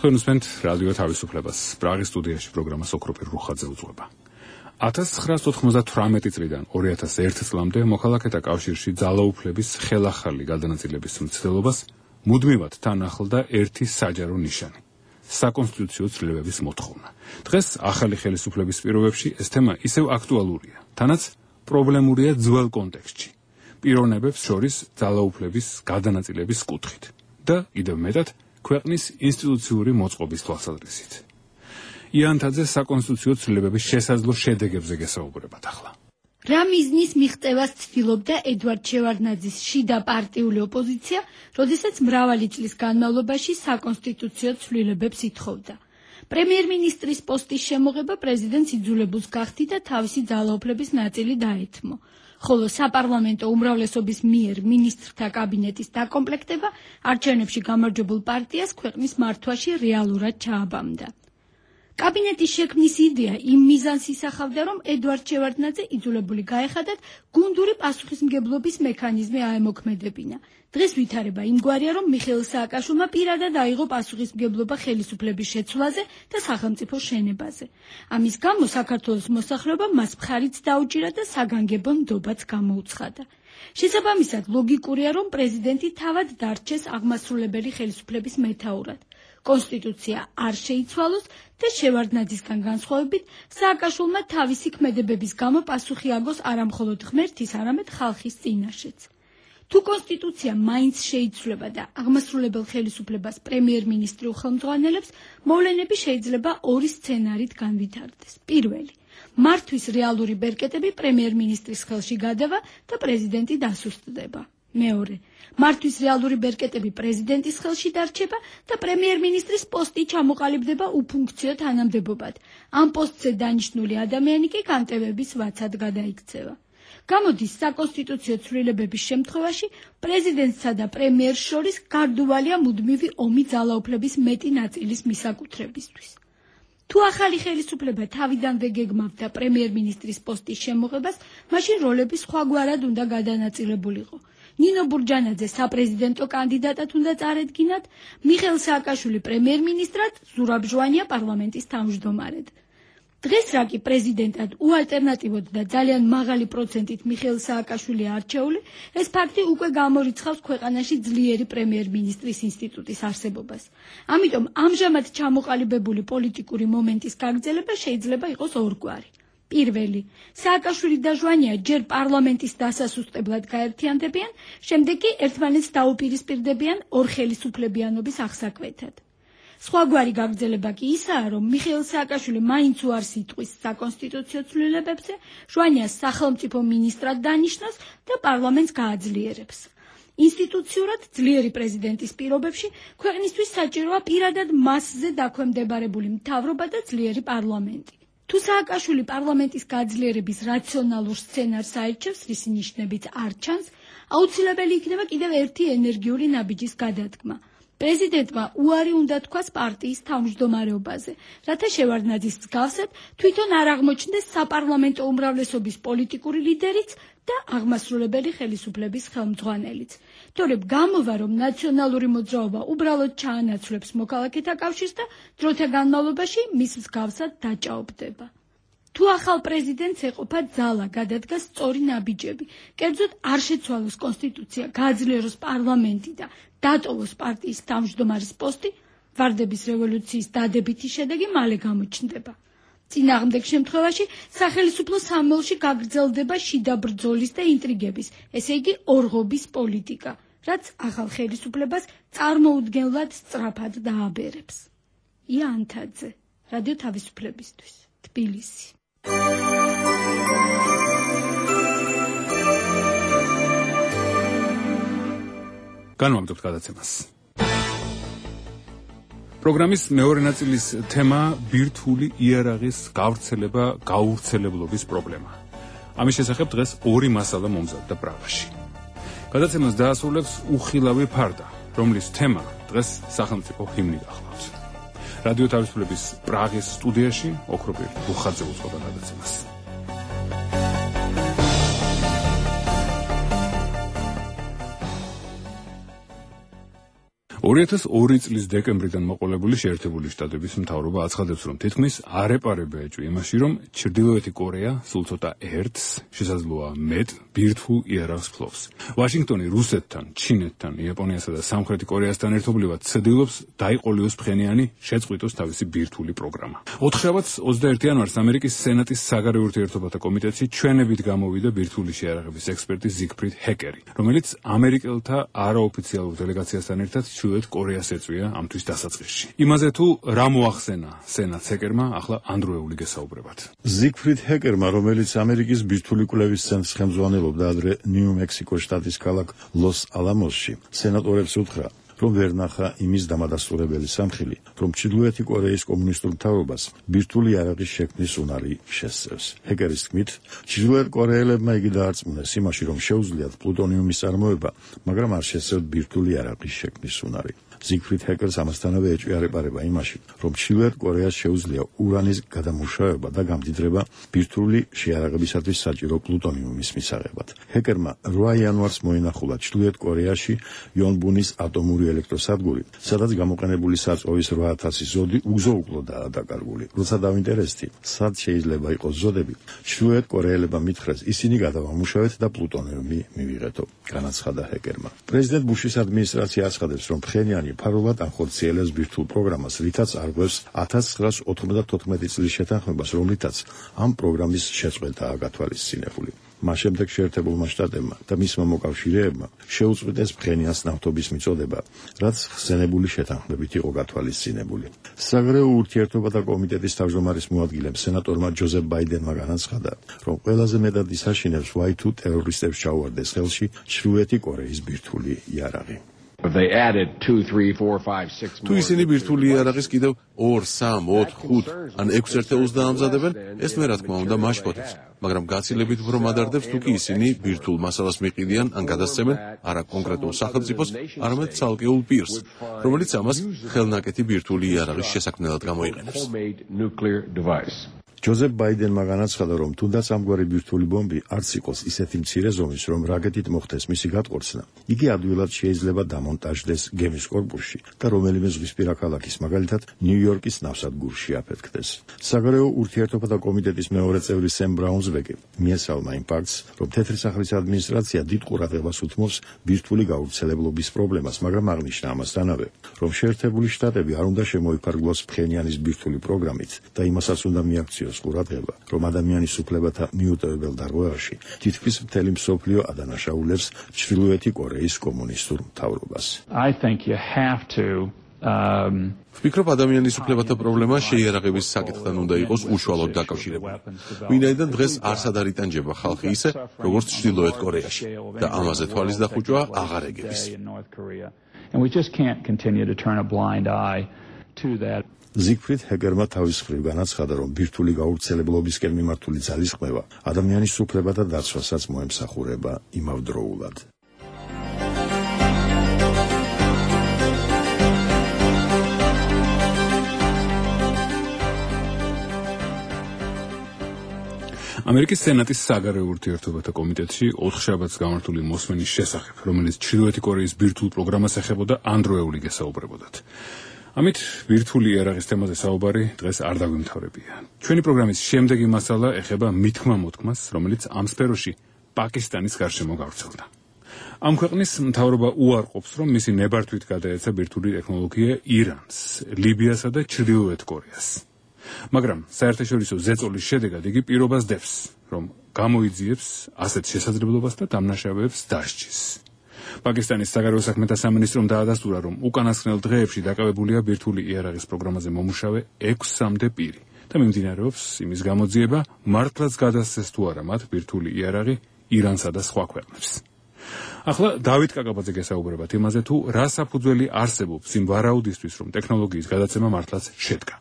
თქვენუსმენთ რადიო თავისუფლებას. პრაღის სტუდიაში პროგრამას ოქროპირ რუხაძე უძღვება. 1998 წლიდან 2001 წლამდე მოქალაქეთა კავშირში ძალაუფლების ხელახალი გადანაწილების მცდელობას მუდმივად თან ახლდა ერთი საჯარო ნიშანი. საკონსტიტუციო ცვლილებების მოთხოვნა. დღეს ახალი ხელისუფლების პირობებში ეს თემა ისევ აქტუალურია, თანაც პრობლემურია ძველ კონტექსტში. პიროვნებებს შორის ძალაუფლების გადანაწილების კუთხით და კიდევ მეტად ქვეყნის ინსტიტუციური მოწყობის თვალსაზრისით. იანთაძე საკონსტიტუციო ცვლილებების შესაძლო შედეგებზე გესაუბრებათ ახლა. რა მიზნის მიღწევას ცდილობდა ედვარდ შევარდნაძის შიდა პარტიული ოპოზიცია, როდესაც მრავალი წლის განმავლობაში საკონსტიტუციო ცვლილებებს ითხოვდა. პრემიერ-მინისტრის პოსტის შემოღება პრეზიდენტს იძულებულს გახდიდა და თავისი ძალაუფლების ნაწილი დაეთმო. ხოლო საპარლამენტო უმრავლესობის მიერ მინისტრთა კაბინეტის დაკომპლექტება არჩევნებში გამარჯვებულ პარტიას ქვეყნის მართვაში რეალურად ჩააბამდა. კაბინეტის შექმნის იდეა იმ მიზანს ისახავდა, რომ ედვარდ შევარდნაძე იძულებული გაეხადათ გუნდური პასუხისმგებლობის მექანიზმი აემოქმედებინა. დღეს ვითარება იმგვარია, რომ მიხეილ სააკაშვილმა პირადად აიღო პასუხისმგებლობა ხელისუფლების შეცვლაზე და სახელმწიფო შენებაზე. ამის გამო საქართველოს მოსახლეობამ მას მხარიც დაუჭირა და საგანგებო ნდობაც გამოუცხადა. შესაბამისად, ლოგიკურია, რომ პრეზიდენტი თავად დარჩეს აღმასრულებელი ხელისუფლების მეთაურად. კონსტიტუცია არ შეიცვალოს და შევარდნაძისგან განსხვავებით სააკაშვილმა თავისი ქმედებების გამო პასუხი აგოს არა მხოლოდ ღმერთის, არამედ ხალხის წინაშეც. თუ კონსტიტუცია მაინც შეიცვლება და აღმასრულებელ ხელისუფლებას პრემიერ-მინისტრი უხელმძღვანელებს, მოვლენები შეიძლება ორი სცენარით განვითარდეს. პირველი, მართვის რეალური ბერკეტები პრემიერ-მინისტრის ხელში გადავა და პრეზიდენტი დასუსტდება. მეორე, მართვის რეალური ბერკეტები პრეზიდენტის ხელში დარჩება და პრემიერ-მინისტრის პოსტი ჩამოყალიბდება უფუნქციო თანამდებობად. ამ პოსტზე დანიშნული ადამიანი კი განტევების ვაცად გადაიქცევა. გამოდის საკონსტიტუციო ცვლილებების შემთხვევაში პრეზიდენტსა და პრემიერს შორის გარდუვალია მუდმივი ომი ძალაუფლების მეტი ნაწილის მისაკუთრებისთვის. თუ ახალი ხელისუფლება თავიდანვე გეგმავდა პრემიერ-მინისტრის პოსტის შემოღებას, მაშინ როლები სხვაგვარად უნდა გადანაწილებულიყო. ნინო ბურჯანაძე საპრეზიდენტო კანდიდატად უნდა წარედგინათ, მიხეილ სააკაშვილი პრემიერ-მინისტრად, ზურაბ ჟვანია პარლამენტის თავმჯდომარედ. დღეს რა კი პრეზიდენტად უალტერნატივოდ და ძალიან მაღალი პროცენტით მიხეილ სააკაშვილია არჩეული, ეს ფაქტი უკვე გამორიცხავს ქვეყანაში ძლიერი პრემიერ-მინისტრის ინსტიტუტის არსებობას. ამიტომ ამჟამად ჩამოყალიბებული პოლიტიკური მომენტის გაგრძელება შეიძლება იყოს ორგვარი. პირველი, სააკაშვილი და ჟვანია ჯერ პარლამენტის დასასუსტებლად გაერთიანდებიან, შემდეგ კი ერთმანეთს დაუპირისპირდებიან ორხელისუფლებიანობის აღსაკვეთად. სხვაგვარი გაგრძელება კი ისაა, რომ მიხეილ სააკაშვილი მაინც უარს იტყვის საკონსტიტუციო ცვლილებებზე, ჟვანიას სახელმწიფო მინისტრად დანიშნოს და პარლამენტს გააძლიერებს. ინსტიტუციურად ძლიერი პრეზიდენტის პირობებში ქვეყნისთვის საჭიროა პირადად მასზე დაქვემდებარებული მთავრობა და ძლიერი პარლამენტი. თუ სააკაშვილი პარლამენტის გაძლიერების რაციონალურ სცენარს აირჩევს, რის ნიშნებით არ ჩანს, აუცილებელი იქნება კიდევ ერთი ენერგიული ნაბიჯის გადადგმა. პრეზიდენტმა უარი უნდა თქვას პარტიის თავმჯდომარეობაზე, რათა შევარდნაძის მსგავსად თვითონ არ აღმოჩნდეს საპარლამენტო უმრავლესობის პოლიტიკური ლიდერიც და აღმასრულებელი ხელისუფლების ხელმძღვანელიც. თორემ გამოვა, რომ ნაციონალური მოძრაობა უბრალოდ ჩაანაცვლებს მოქალაქეთა კავშირს და დროთა განმავლობაში მის მსგავსად დაჭაობდება. თუ ახალ პრეზიდენტს ეყოფა ძალა, გადადგა სწორი ნაბიჯები, კერძოდ არ შეცვალოს კონსტიტუცია, გააძლიეროს პარლამენტი და დატოვოს პარტიის თავმჯდომარის პოსტი, ვარდების რევოლუციის დადებითი შედეგი მალე გამოჩნდება. წინააღმდეგ შემთხვევაში სახელისუფლო სამმელში გაგრძელდება შიდა ბრძოლის და ინტრიგების, ესე იგი ორღობის პოლიტიკა, რაც ახალ ხელისუფლებას წარმოუდგენლად სწრაფად დააბერებს. იანთაძე, რადიო თავისუფლებისთვის, თბილისი. განვამტებთ გადაცემას. პროგრამის მეორე ნაწილის თემა ბირთვული იარაღის გავრცელებლობის პრობლემა. ამის შესახებ დღეს ორი მასალა მომზადდა პრაღაში. გადაცემას დაასრულებს უხილავი ფარდა, რომლის თემა დღეს სახელმწიფო ჰიმნი გახლავთ. რადიო თავისუფლების პრაღის სტუდიაში ოქროპირ რუხაძე უძღვება გადაცემას. 2002 წლის დეკემბრიდან მოყოლებული შეერთებული შტატების მთავრობა აცხადებს, რომ თითქმის არ ეპარება ეჭვი იმაში, რომ ჩრდილოეთი კორეა სულ ცოტა ერთს, შესაძლოა მეტ ბირთვულ იარაღს ფლობს. ვაშინგტონი რუსეთთან, ჩინეთთან, იაპონიასა და სამხრეთი კორეასთან ერთობლივად ცდილობს დაიყოლიოს ფხენიანი შეწყვიტოს თავისი ბირთვული პროგრამა. 21 იანვარს ამერიკის სენატის საგარეო ურთიერთობათა კომიტეტში ჩვენებით გამოვიდა ბირთვული შეიარაღების ექსპერტი ზიგფრიდ ჰეკერი, რომელიც ამერიკელთა არაოფიციალურ დელეგაციასთან ერთად ჩრდილოეთ კორეას ეწვია ამთვის დასაწყისში. იმაზე თუ რა მოახსენა სენატს ჰეკერმა, ახლა ანდროეული გესაუბრებათ. ზიგფრიდ ჰეკერმა, რომელიც ამერიკის ბირთვული კვლევის ცენტრს ხელმძღვანელობდა ადრე ნიუ-მექსიკოს შტატის ქალაქ ლოს-ალამოსში, სენატორებს უთხრა, რომ ვერ ნახა იმის დამადასტურებელი სამხილი, რომ ჩრდილოეთი კორეის კომუნისტურ მთავრობას ბირთვული იარაღის შექმნის უნარი შესწევს. ჰეკერის თქმით, ჩრდილოეთ კორეელებმა იგი დაარწმუნეს იმაში, რომ შეუძლიათ პლუტონიუმის წარმოება, მაგრამ არ შესწევთ ბირთვული იარაღის შექმნის უნარი. ზიგფრიდ ჰეკერს ამასთანავე ეჭვი არ ეპარება იმაში, რომ ჩრდილოეთ კორეას შეუძლია ურანის გადამუშავება და გამდიდრება ბირთვული შეიარაღებისათვის საჭირო პლუტონიუმის მისაღებად. ჰეკერმა 8 იანვარს მოინახულა ჩრდილოეთ კორეაში යონბუნის ატომური ელექტროსადგური, სადაც გამოყენებული საწვავის 8000 ზოდი უგზო-უკლოდაა დაკარგული. როცა დავინტერესდი, სად შეიძლება იყოს ზოდები, ჩრდილოეთ კორეელებმა მითხრეს, ისინი გადავამუშავეთ და პლუტონიუმი მივიღეთო, განაცხადა ჰეკერმა. პრეზიდენტ ბუშის ადმინისტრაცია აცხადებს, რომ ფხენიანი ფარულად ანხორციელებს ბირთვულ პროგრამას, რითაც არღვევს 1994 წლის შეთანხმებას, რომლითაც ამ პროგრამის შეწყვეტაა გათვალისწინებული. მას შემდეგ შეერთებულმა შტატებმა და მისმა მოკავშირეებმა შეუწყვეტეს ფხენიანს ნავთობის მიწოდება, რაც ხსენებული შეთანხმებით იყო გათვალისწინებული. საგარეო ურთიერთობათა კომიტეტის თავმჯდომარის მოადგილემ სენატორმა ჯოზეფ ბაიდენმა განაცხადა, რომ ყველაზე მეტად ისაშინებს Y2 ტერორისტებს ჩაუვარდეს ხელში ჩრდილოეთი კორეის ბირთვული იარაღი. თუ ისინი ბირთვული იარაღის კიდევ 2, 3, 4, 5 ან 6 ერთეულს დაამზადებენ, ეს მე რა თქმა უნდა მაშფოთებს, მაგრამ გაცილებით უფრო მადარდებს თუ კი ისინი ბირთვულ მასალას მიყიდიან ან გადასცემენ არა კონკრეტულ სახელმწიფოს, არამედ ცალკეულ პირს, რომელიც ამას ხელნაკეთი ბირთვული იარაღის შესაქმნელად გამოიყენებს. ჯოზეფ ბაიდენმა განაცხადა, რომ თუნდაც ამგვარი ბირთვული ბომბი არც იყოს ისეთი მცირე ზომის, რომ რაკეტით მოხდეს მისი გატყორცნა, იგი ადვილად შეიძლება დამონტაჟდეს გემის კორპუსში და რომელიმე ზღვისპირა ქალაქის, მაგალითად ნიუ-იორკის ნავსადგურში აფეთქდეს. საგარეო ურთიერთობათა კომიტეტის მეორე წევრი სემ ბრაუნსბეკი მიესალმა იმ ფაქტს, რომ თეთრი სახლის ადმინისტრაცია დიდ ყურადღებას უთმობს ბირთვული გავრცელებლობის პრობლემას, მაგრამ აღნიშნა ამასთანავე, რომ შეერთებული შტატები არ უნდა შემოიფარგლოს ფხენიანის ბირთვული პროგრამით და იმასაც უნდა მიაქციოს ყურადღება, რომ ადამიანის უფლებათა მიუტოვებელ დარღვევაში თითქმის მთელი მსოფლიო ადანაშაულებს ჩრდილოეთი კორეის კომუნისტურ მთავრობას. ვფიქრობ, ადამიანის უფლებათა პრობლემა შეიარაღების საკითხთან უნდა იყოს უშუალოდ დაკავშირებული. ვინაიდან დღეს არსად არ იტანჯება ხალხი ისე, როგორც ჩრდილოეთ კორეაში და ამაზე თვალის დახუჭვა აღარ ეგების. ზიგფრიდ ჰეკერმა თავის მხრივ განაცხადა, რომ ბირთვული გავრცელებლობისკენ მიმართული ძალისხმევა ადამიანის უფლებათა დაცვასაც მოემსახურება იმავდროულად. ამერიკის სენატის საგარეო ურთიერთობათა კომიტეტში 4 შაბათს გამართული მოსმენის შესახებ, რომელიც ჩრდილოეთი კორეის ბირთვულ პროგრამას ეხებოდა, ანდროეული გესაუბრებოდათ. ამით ბირთვული იარაღის თემაზე საუბარი დღეს არ დაგვიმთავრებია. ჩვენი პროგრამის შემდეგი მასალა ეხება მithმა-მოთქმას, რომელიც ამ სფეროში პაკისტანის გარშემო გავრცელდა. ამ ქვეყნის მთავრობა უარყოფს, რომ მისი ნებართვით გადაეცა ბირთვული ტექნოლოგია ირანს, ლიბიასა და ჩრდილოეთ კორეას. მაგრამ საერთაშორისო ზეწოლის შედეგად იგი პირობას დევს, რომ გამოიძიებს ასეთ შესაძლებლობას და დამნაშავეებს დასჯის. პაკისტანის საგარეო საქმეთა სამინისტრომ დაადასტურა, რომ უკანასკნელ დღეებში დაკავებულია ბირთვული იარაღის პროგრამაზე მომუშავე 6-მდე პირი და მიმდინარეობს იმის გამოძიება, მართლაც გადასცეს თუ არა მათ ბირთვული იარაღი ირანსა და სხვა ქვეყნებს. ახლა დავით კაკაბაძე გესაუბრებათ იმაზე, თუ რა საფუძველი არსებობს იმ ვარაუდისთვის, რომ ტექნოლოგიის გადაცემა მართლაც შედგა.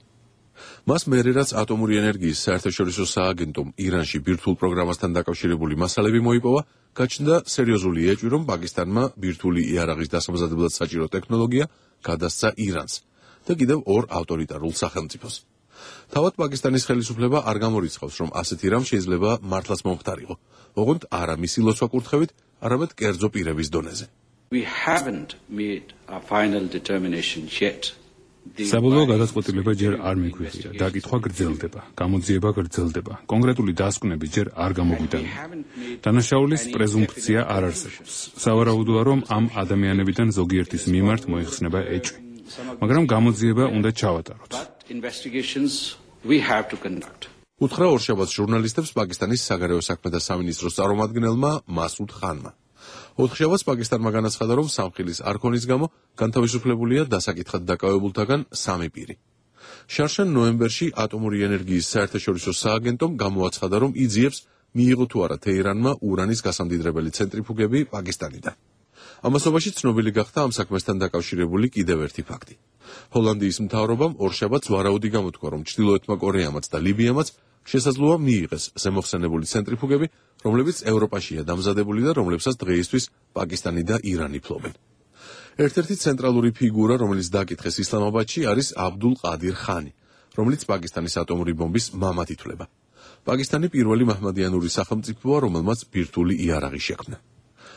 მას მერე რაც ატომური ენერგიის საერთაშორისო სააგენტომ ირანში ბირთვულ პროგრამასთან დაკავშირებული მასალები მოიპოვა, გაჩნდა სერიოზული ეჭვი, რომ პაკისტანმა ბირთვული იარაღის დასამზადებლად საჭირო ტექნოლოგია გადასცა ირანს და კიდევ 2 ავტორიტარულ სახელმწიფოს. თავად პაკისტანის ხელისუფლება არ გამორიცხავს, რომ ასეთი რამ შეიძლება მართლაც მომხდარიყო, ოღონდ არა მისი ლოცვა კურთხევით, არამედ კერძო პირების დონეზე. We haven't made a final determination yet. საბოლოო გადაწყვეტილება ჯერ არ მიგვიღია, დაკითხვა გრძელდება, გამოძიება გრძელდება, კონკრეტული დასკვნები ჯერ არ გამოგვიტანია. დანაშაულის პრეზუმფცია არ არსებობს. სავარაუდოა, რომ ამ ადამიანებიდან ზოგიერთის მიმართ მოიხსნება ეჭვი. მაგრამ გამოძიება უნდა ჩავატაროთ. უთხრა ორშაბათს ჟურნალისტებს პაკისტანის საგარეო საქმეთა სამინისტროს წარმომადგენელმა მასუდ ხანმა. ოთხშაბათს პაკისტანმა განაცხადა, რომ სამხილის არქონის გამო განთავისუფლებულია დასაკითხად დაკავებულთაგან 3 პირი. შარშან ნოემბერში ატომური ენერგიის საერთაშორისო სააგენტომ გამოაცხადა, რომ იძიებს მიიღო თუ არა თეირანმა ურანის გასამდიდრებელი ცენტრიფუგები პაკისტანიდან. ამასობაში ცნობილი გახდა ამ საქმესთან დაკავშირებული კიდევ ერთი ფაქტი. ჰოლანდიის მთავრობამ ორშაბათს ვარაუდი გამოთქვა, რომ ჩრდილოეთმა კორეამაც და ლიბიამაც შესაძლოა მიიღეს ზემოხსენებული ცენტრიფუგები, რომლებიც ევროპაშია დამზადებული და რომლებსაც დღეისთვის პაკისტანი და ირანი ფლობენ. ერთ-ერთი ცენტრალური ფიგურა, რომელიც დაკითხეს ისლამაბადში, არის აბდულ ყადირ ხანი, რომელიც პაკისტანის ატომური ბომბის მამად ითვლება. პაკისტანი პირველი მაჰმადიანური სახელმწიფოა, რომელმაც ბირთვული იარაღი შექმნა.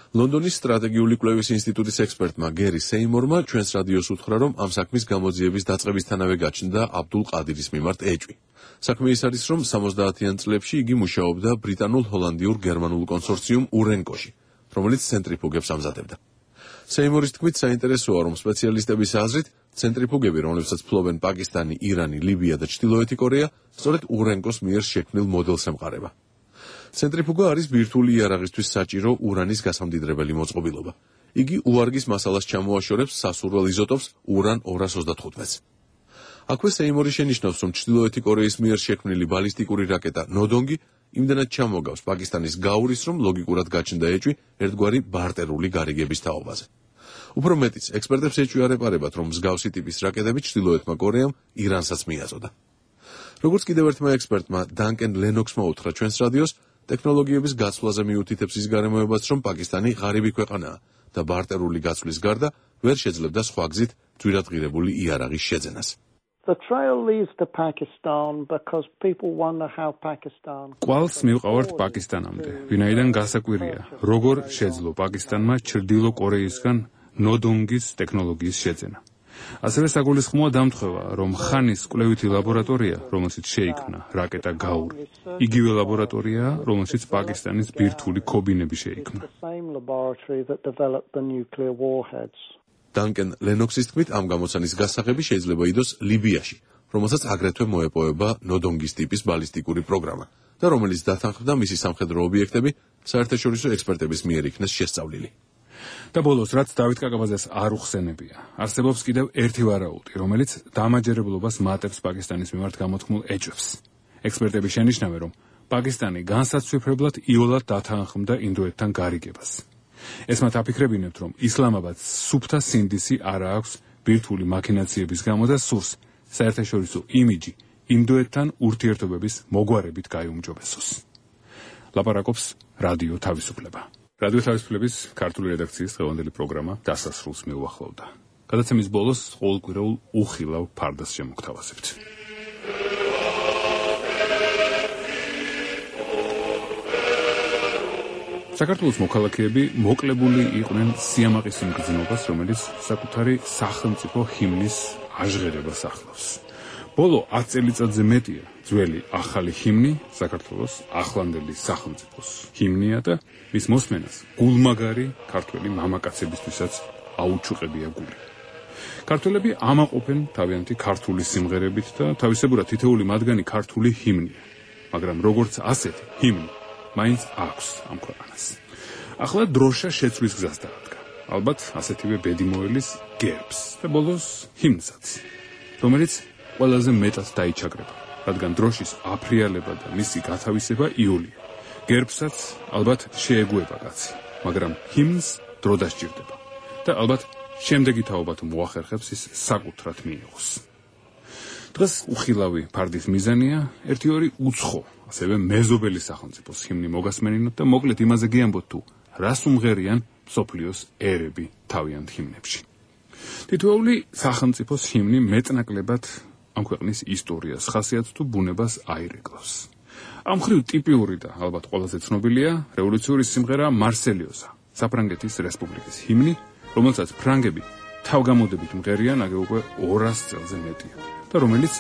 ლონდონის სტრატეგიული კვლევის ინსტიტუტის ექსპერტმა გერი სეიმორმა ჩვენს რადიოს უთხრა, რომ ამ საქმის გამოძიების დაწყებისთანავე გაჩნდა აბდულ ყადირის მიმართ ეჭვი. საქმე ის არის, რომ 70-იან წლებში იგი მუშაობდა ბრიტანულ-ჰოლანდიურ-გერმანულ კონსორციუმ ურენკოში, რომელიც ცენტრიფუგებს ამზადებდა. სეიმორის თქმით, საინტერესოა, რომ სპეციალისტების აზრით, ცენტრიფუგები, რომლებსაც ფლობენ პაკისტანი, ირანი, ლიბია და ჩრდილოეთი კორეა, სწორედ ურენკოს მიერ შექმნილ მოდელს ემყარება. ცენტრიფუგა არის ბირთვული იარაღისთვის საჭირო ურანის გასამდიდრებელი მოწყობილობა. იგი უარგის მასალას ჩამოაშორებს სასურველ იზოტოპს ურან 225-ს. აქვე სეიმორი შენიშნავს, რომ ჩრდილოეთი კორეის მიერ შექმნილი ბალისტიკური რაკეტა ნოდონგი იმდენად ჩამოგავს პაკისტანის გაურის, რომ ლოგიკურად გაჩნდა ეჭვი ერთგვარი ბარტერული გარიგების თაობაზე. უფრო მეტიც, ექსპერტებს ეჭვი არ ეპარებათ, რომ მსგავსი ტიპის რაკეტები ჩრდილოეთმა კორეამ ირანსაც მიაწოდა. როგორც კიდევ ერთმა ექსპერტმა დანკენ ლენოქსმა უთხრა ჩვენს რადიოს, ტექნოლოგიების გაცვლაზე მიუთითებს ის გარემოებაც, რომ პაკისტანი ღარიბი ქვეყანაა და ბარტერული გაცვლის გარდა ვერ შეძლებდა სხვა გზით ძვირადღირებული იარაღის შეძენას. The trail leads to Pakistan because people wonder how Pakistan. კვალს მივყავართ პაკისტანამდე, ვინაიდან გასაკვირია, როგორ შეძლო პაკისტანმა ჩრდილო კორეისგან ნოდონგის ტექნოლოგიის შეძენა. ასევე საგულისხმოა დამთხევა, რომ ხანის კვლევითი ლაბორატორია, რომელშიც შეიქმნა რაკეტა გაური, იგივე ლაბორატორიაა, რომელშიც პაკისტანის ბირთვული ქობინები შეიქმნა. დანკენ ლენოქსის თქმით, ამ გამოცანის გასაღები შეიძლება იდოს ლიბიაში, რომელსაც აგრეთვე მოეპოვება ნოდონგის ტიპის ბალისტიკური პროგრამა და რომელიც დათანხმდა მისი სამხედრო ობიექტები საერთაშორისო ექსპერტების მიერ იქნეს შესწავლილი. და ბოლოს, რაც დავით კაკაბაძეს არ უხსენებია, არსებობს კიდევ ერთი ვარაუდი, რომელიც დამაჯერებლობას მატებს პაკისტანის მიმართ გამოთქმულ ეჭვებს. ექსპერტები შენიშნავენ, რომ პაკისტანი განსაცვიფრებლად იოლად დათანხმდა ინდოეთთან გარიგებას. ეს მათ აფიქრებინებთ, რომ ისლამაბადს სუფთა სინდისი არ აქვს ბირთვული მაქინაციების გამო და სურს საერთაშორისო იმიჯი ინდოეთთან ურთიერთობების მოგვარებით გაიუმჯობესოს. ლაპარაკობს რადიო თავისუფლება. რადიო თავისუფლების ქართული რედაქციის დღევანდელი პროგრამა დასასრულს მიუახლოვდა. გადაცემის ბოლოს ყოველკვირეულ უხილავ ფარდას შემოგთავაზებთ. საქართველოს მოქალაქეები მოკლებული იყვნენ სიამაყის იმ გზნობას, რომელიც საკუთარი სახელმწიფო ჰიმნის აჟღერებას ახლავს. ბოლო 10 წელიწადზე მეტია ძველი ახალი ჰიმნი საქართველოს ახლანდელი სახელმწიფოს ჰიმნია და მის მოსმენას გულმაგარი ქართველი მამაკაცებისთვისაც აუჩუყებია გული. ქართველები ამაყობენ თავიანთი ქართული სიმღერებით და თავისებურად თითოეული მათგანი ქართული ჰიმნია, მაგრამ როგორც ასეთი ჰიმნი მაინც აქვს ამ ქვეყანას. ახლა დროშა შეცვლის გზას დაადგა. ალბათ ასეთივე ბედი მოელის გერბს და ბოლოს ჰიმნსაც, რომელიც ყველაზე მეტად დაიჩაგრება, რადგან დროშის აფრიალება და მისი გათავისება იოლია. გერბსაც ალბათ შეეგუება კაცი, მაგრამ ჰიმნს დრო დასჭირდება და ალბათ შემდეგი თაობა თუ მოახერხებს ის საკუთრად მიიღოს. დღეს უხილავი ფარდის მიზანია ერთი-ორი უცხო, ასევე მეზობელი სახელმწიფოს ჰიმნი მოგასმენინოთ და მოკლედ იმაზე გიამბოთ თუ რას უმღერიან მსოფლიოს ერები თავიანთ ჰიმნებში. თითოეული სახელმწიფოს ჰიმნი მეტნაკლებად ამ ქვეყნის ისტორიას, ხასიათს თუ ბუნებას აირეკლავს. ამ მხრივ ტიპიური და ალბათ ყველაზე ცნობილია რევოლუციური სიმღერა მარსელიოზა, საფრანგეთის რესპუბლიკის ჰიმნი, რომელსაც ფრანგები თავგამოდებით მღერიან აგე უკვე 200 წელზე მეტია და რომელიც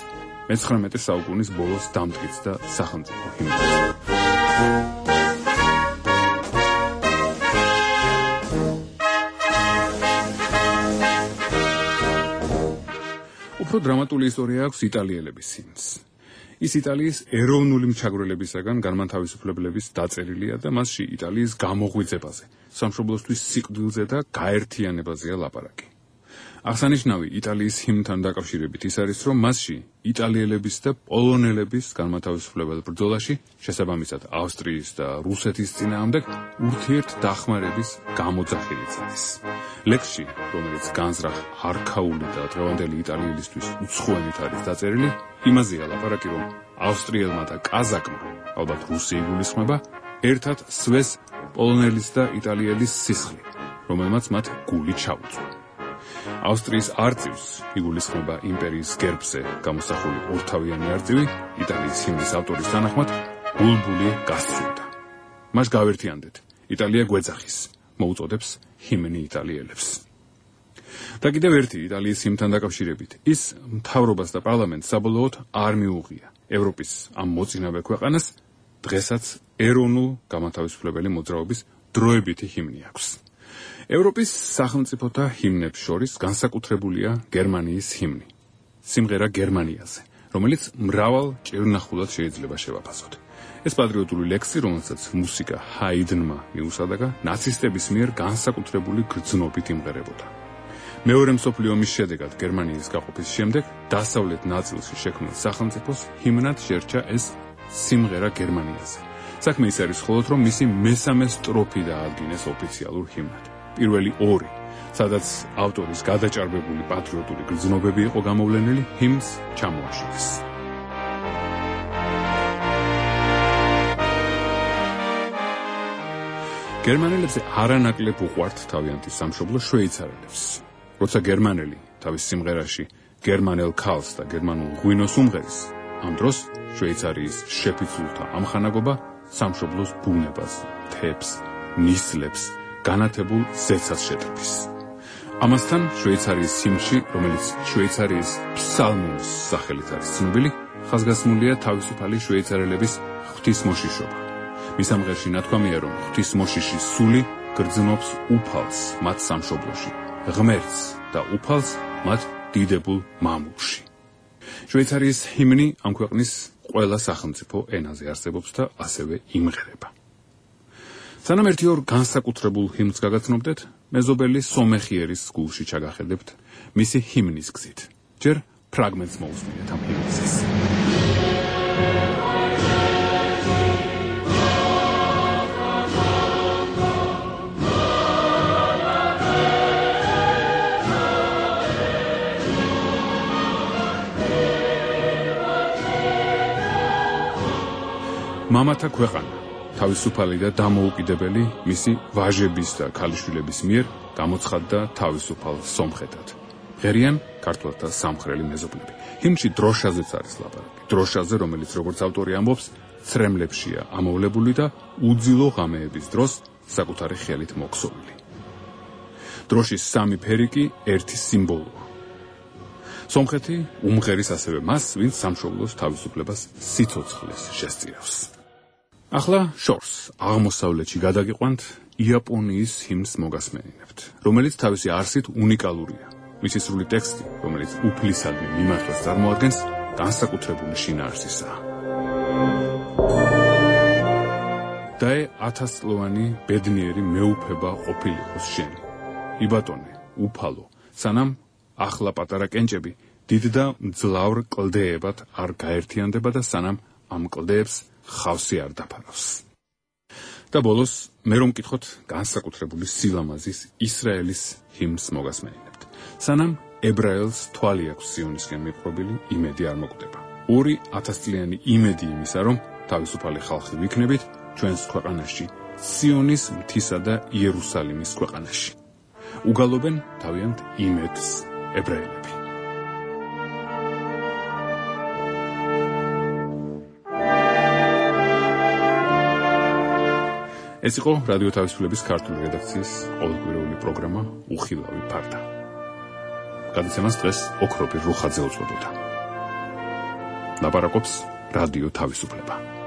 მე-19 საუკუნის ბოლოს დამტკიც და სახელმწიფო ჰიმნად. უფრო დრამატული ისტორია აქვს იტალიელების ჰიმნს. ის იტალიის ეროვნული მჩაგვრელებისაგან განმათავისუფლებლების დაწერილია და მასში იტალიის გამოღვიძებაზე, სამშობლოსთვის სიკვდილზე და გაერთიანებაზეა ლაპარაკი. აღსანიშნავი იტალიის ჰიმნთან დაკავშირებით ის არის, რომ მასში იტალიელების და პოლონელების განმათავისუფლებელ ბრძოლაში, შესაბამისად ავსტრიის და რუსეთის წინააღმდეგ ურთიერთდახმარების გამოძახილიც არის. ლექსში, რომელიც განზრახ არქაული და დღევანდელი იტალიელისთვის უცხოენით არის დაწერილი, იმაზეა ლაპარაკი, რომ ავსტრიელმა და კაზაკმა, ალბათ რუსი იგულისხმება, ერთად სვეს პოლონელის და იტალიელის სისხლი, რომელმაც მათ გული ჩაუწვა. ავსტრიის არწივს იგულისხმება იმპერიის გერბზე გამოსახული ორთავიანი არწივი, იტალიის ჰიმნის ავტორის თანახმად ბულბული გასცურდა. მას გავერთიანდეთ, იტალია გვეძახის, მოუწოდებს ჰიმნი იტალიელებს. და კიდევ ერთი იტალიის ჰიმნთან დაკავშირებით, ის მთავრობას და პარლამენტს საბოლოოდ არ მიუღია. ევროპის ამ მოწინავე ქვეყანას დღესაც ეროვნულ გამათავისუფლებელი მოძრაობის დროებითი ჰიმნი აქვს. ევროპის სახელმწიფოთა ჰიმნებს შორის განსაკუთრებულია გერმანიის ჰიმნი, სიმღერა გერმანიაზე, რომელიც მრავალ ჭირნახულად შეიძლება შევაფასოთ. ეს პატრიოტული ლექსი, რომელსაც მუსიკა ჰაიდნმა მიუსადაგა, ნაცისტების მიერ განსაკუთრებული გრძნობით იმღერებოდა. მეორე მსოფლიო ომის შედეგად გერმანიის გაყოფის შემდეგ დასავლეთ ნაწილში შექმნილ სახელმწიფოს ჰიმნად შერჩა ეს სიმღერა გერმანიაზე. საქმე ის არის მხოლოდ, რომ მისი მესამე სტროფი დაადგინეს ოფიციალურ ჰიმნად. პირველი ორი, სადაც ავტორის გადაჭარბებული პატრიოტული გრძნობები იყო გამოვლენილი, ჰიმნს ჩამოაშორეს. გერმანელებზე არანაკლებ უყვართ თავიანთი სამშობლო შვეიცარელებს. როცა გერმანელი თავის სიმღერაში გერმანელ ქალს და გერმანულ ღვინოს უმღერის, ამ დროს შვეიცარიის შეფიცულთა ამხანაგობა სამშობლოს ბუნებას, მთებს, ნისლებს, განათებულ ზეცას შეტრფის. ამასთან შვეიცარიის ჰიმნში, რომელიც შვეიცარიის ფსალმუნის სახელით არის ცნობილი, ხაზგასმულია თავისუფალი შვეიცარელების ღვთისმოშიშობა. მის ამღერში ნათქვამია, რომ ღვთისმოშიშის სული გრძნობს უფალს მათ სამშობლოში, ღმერთს და უფალს მათ დიდებულ მამულში. შვეიცარიის ჰიმნი ამ ქვეყნის ყველა სახელმწიფო ენაზე არსებობს და ასევე იმღერება. სანამ ერთი ორ განსაკუთრებულ ჰიმნს გაგაცნობდეთ, მეზობელი სომეხიერის გულში ჩაგახედებთ მისი ჰიმნის გზით. ჯერ ფრაგმენტს მოусმინეთ ამ ჰიმნისას. მამათა ქვეყანა, თავისუფალი და დამოუკიდებელი მისი ვაჟების და ქალიშვილების მიერ გამოცხადდა თავისუფალ სომხეთად. ღერიან ქართველთა სამხრელი მეზობლები. ჰიმნში დროშაზეც არის ლაპარაკი. დროშაზე, რომელიც როგორც ავტორი ამბობს, ცრემლებშია ამოვლებული და უძილო ღამეების დროს საკუთარი ხელით მოქსოვილი. დროშის სამი ფერი კი ერთი სიმბოლოა. სომხეთი უმღერის ასევე მას, ვინც სამშობლოს თავისუფლებას სიცოცხლეს შესწირავს. ახლა შორს აღმოსავლეთში გადაგიყვანთ იაპონიის ჰიმნს მოგასმენინებთ, რომელიც თავისი არსით უნიკალურია. მისი სრული ტექსტი, რომელიც უფლისადმი მიმართვას წარმოადგენს, განსაკუთრებული შინაარსისაა. დაე 1000 წლოვანი ბედნიერი მეუფება ყოფილიყოს შენ. იბატონე, უფალო, სანამ ახლა პატარა კენჭები დიდ და მძლავრ კლდეებად არ გაერთიანდება და სანამ ამ კლდეებს ხავსი არ დაფარავს. და ბოლოს მე რომ მკითხოთ განსაკუთრებული სილამაზის ისრაელის ჰიმნს მოგასმენინებთ. სანამ ებრაელს თვალი აქვს სიონისკენ მიპყრობილი იმედი არ მოკვდება. 2000 წლიანი იმედი იმისა, რომ თავისუფალი ხალხი ვიქნებით ჩვენს ქვეყანაში, სიონის მთისა და იერუსალიმის ქვეყანაში. უგალობენ თავიანთ იმედს ებრაელები. ეს იყო რადიო თავისუფლების ქართული რედაქციის ყოველკვირეული პროგრამა უხილავი ფარდა. გადაცემას დღეს ოქროპირ რუხაძე უწოდებდა. ლაპარაკობს რადიო თავისუფლება.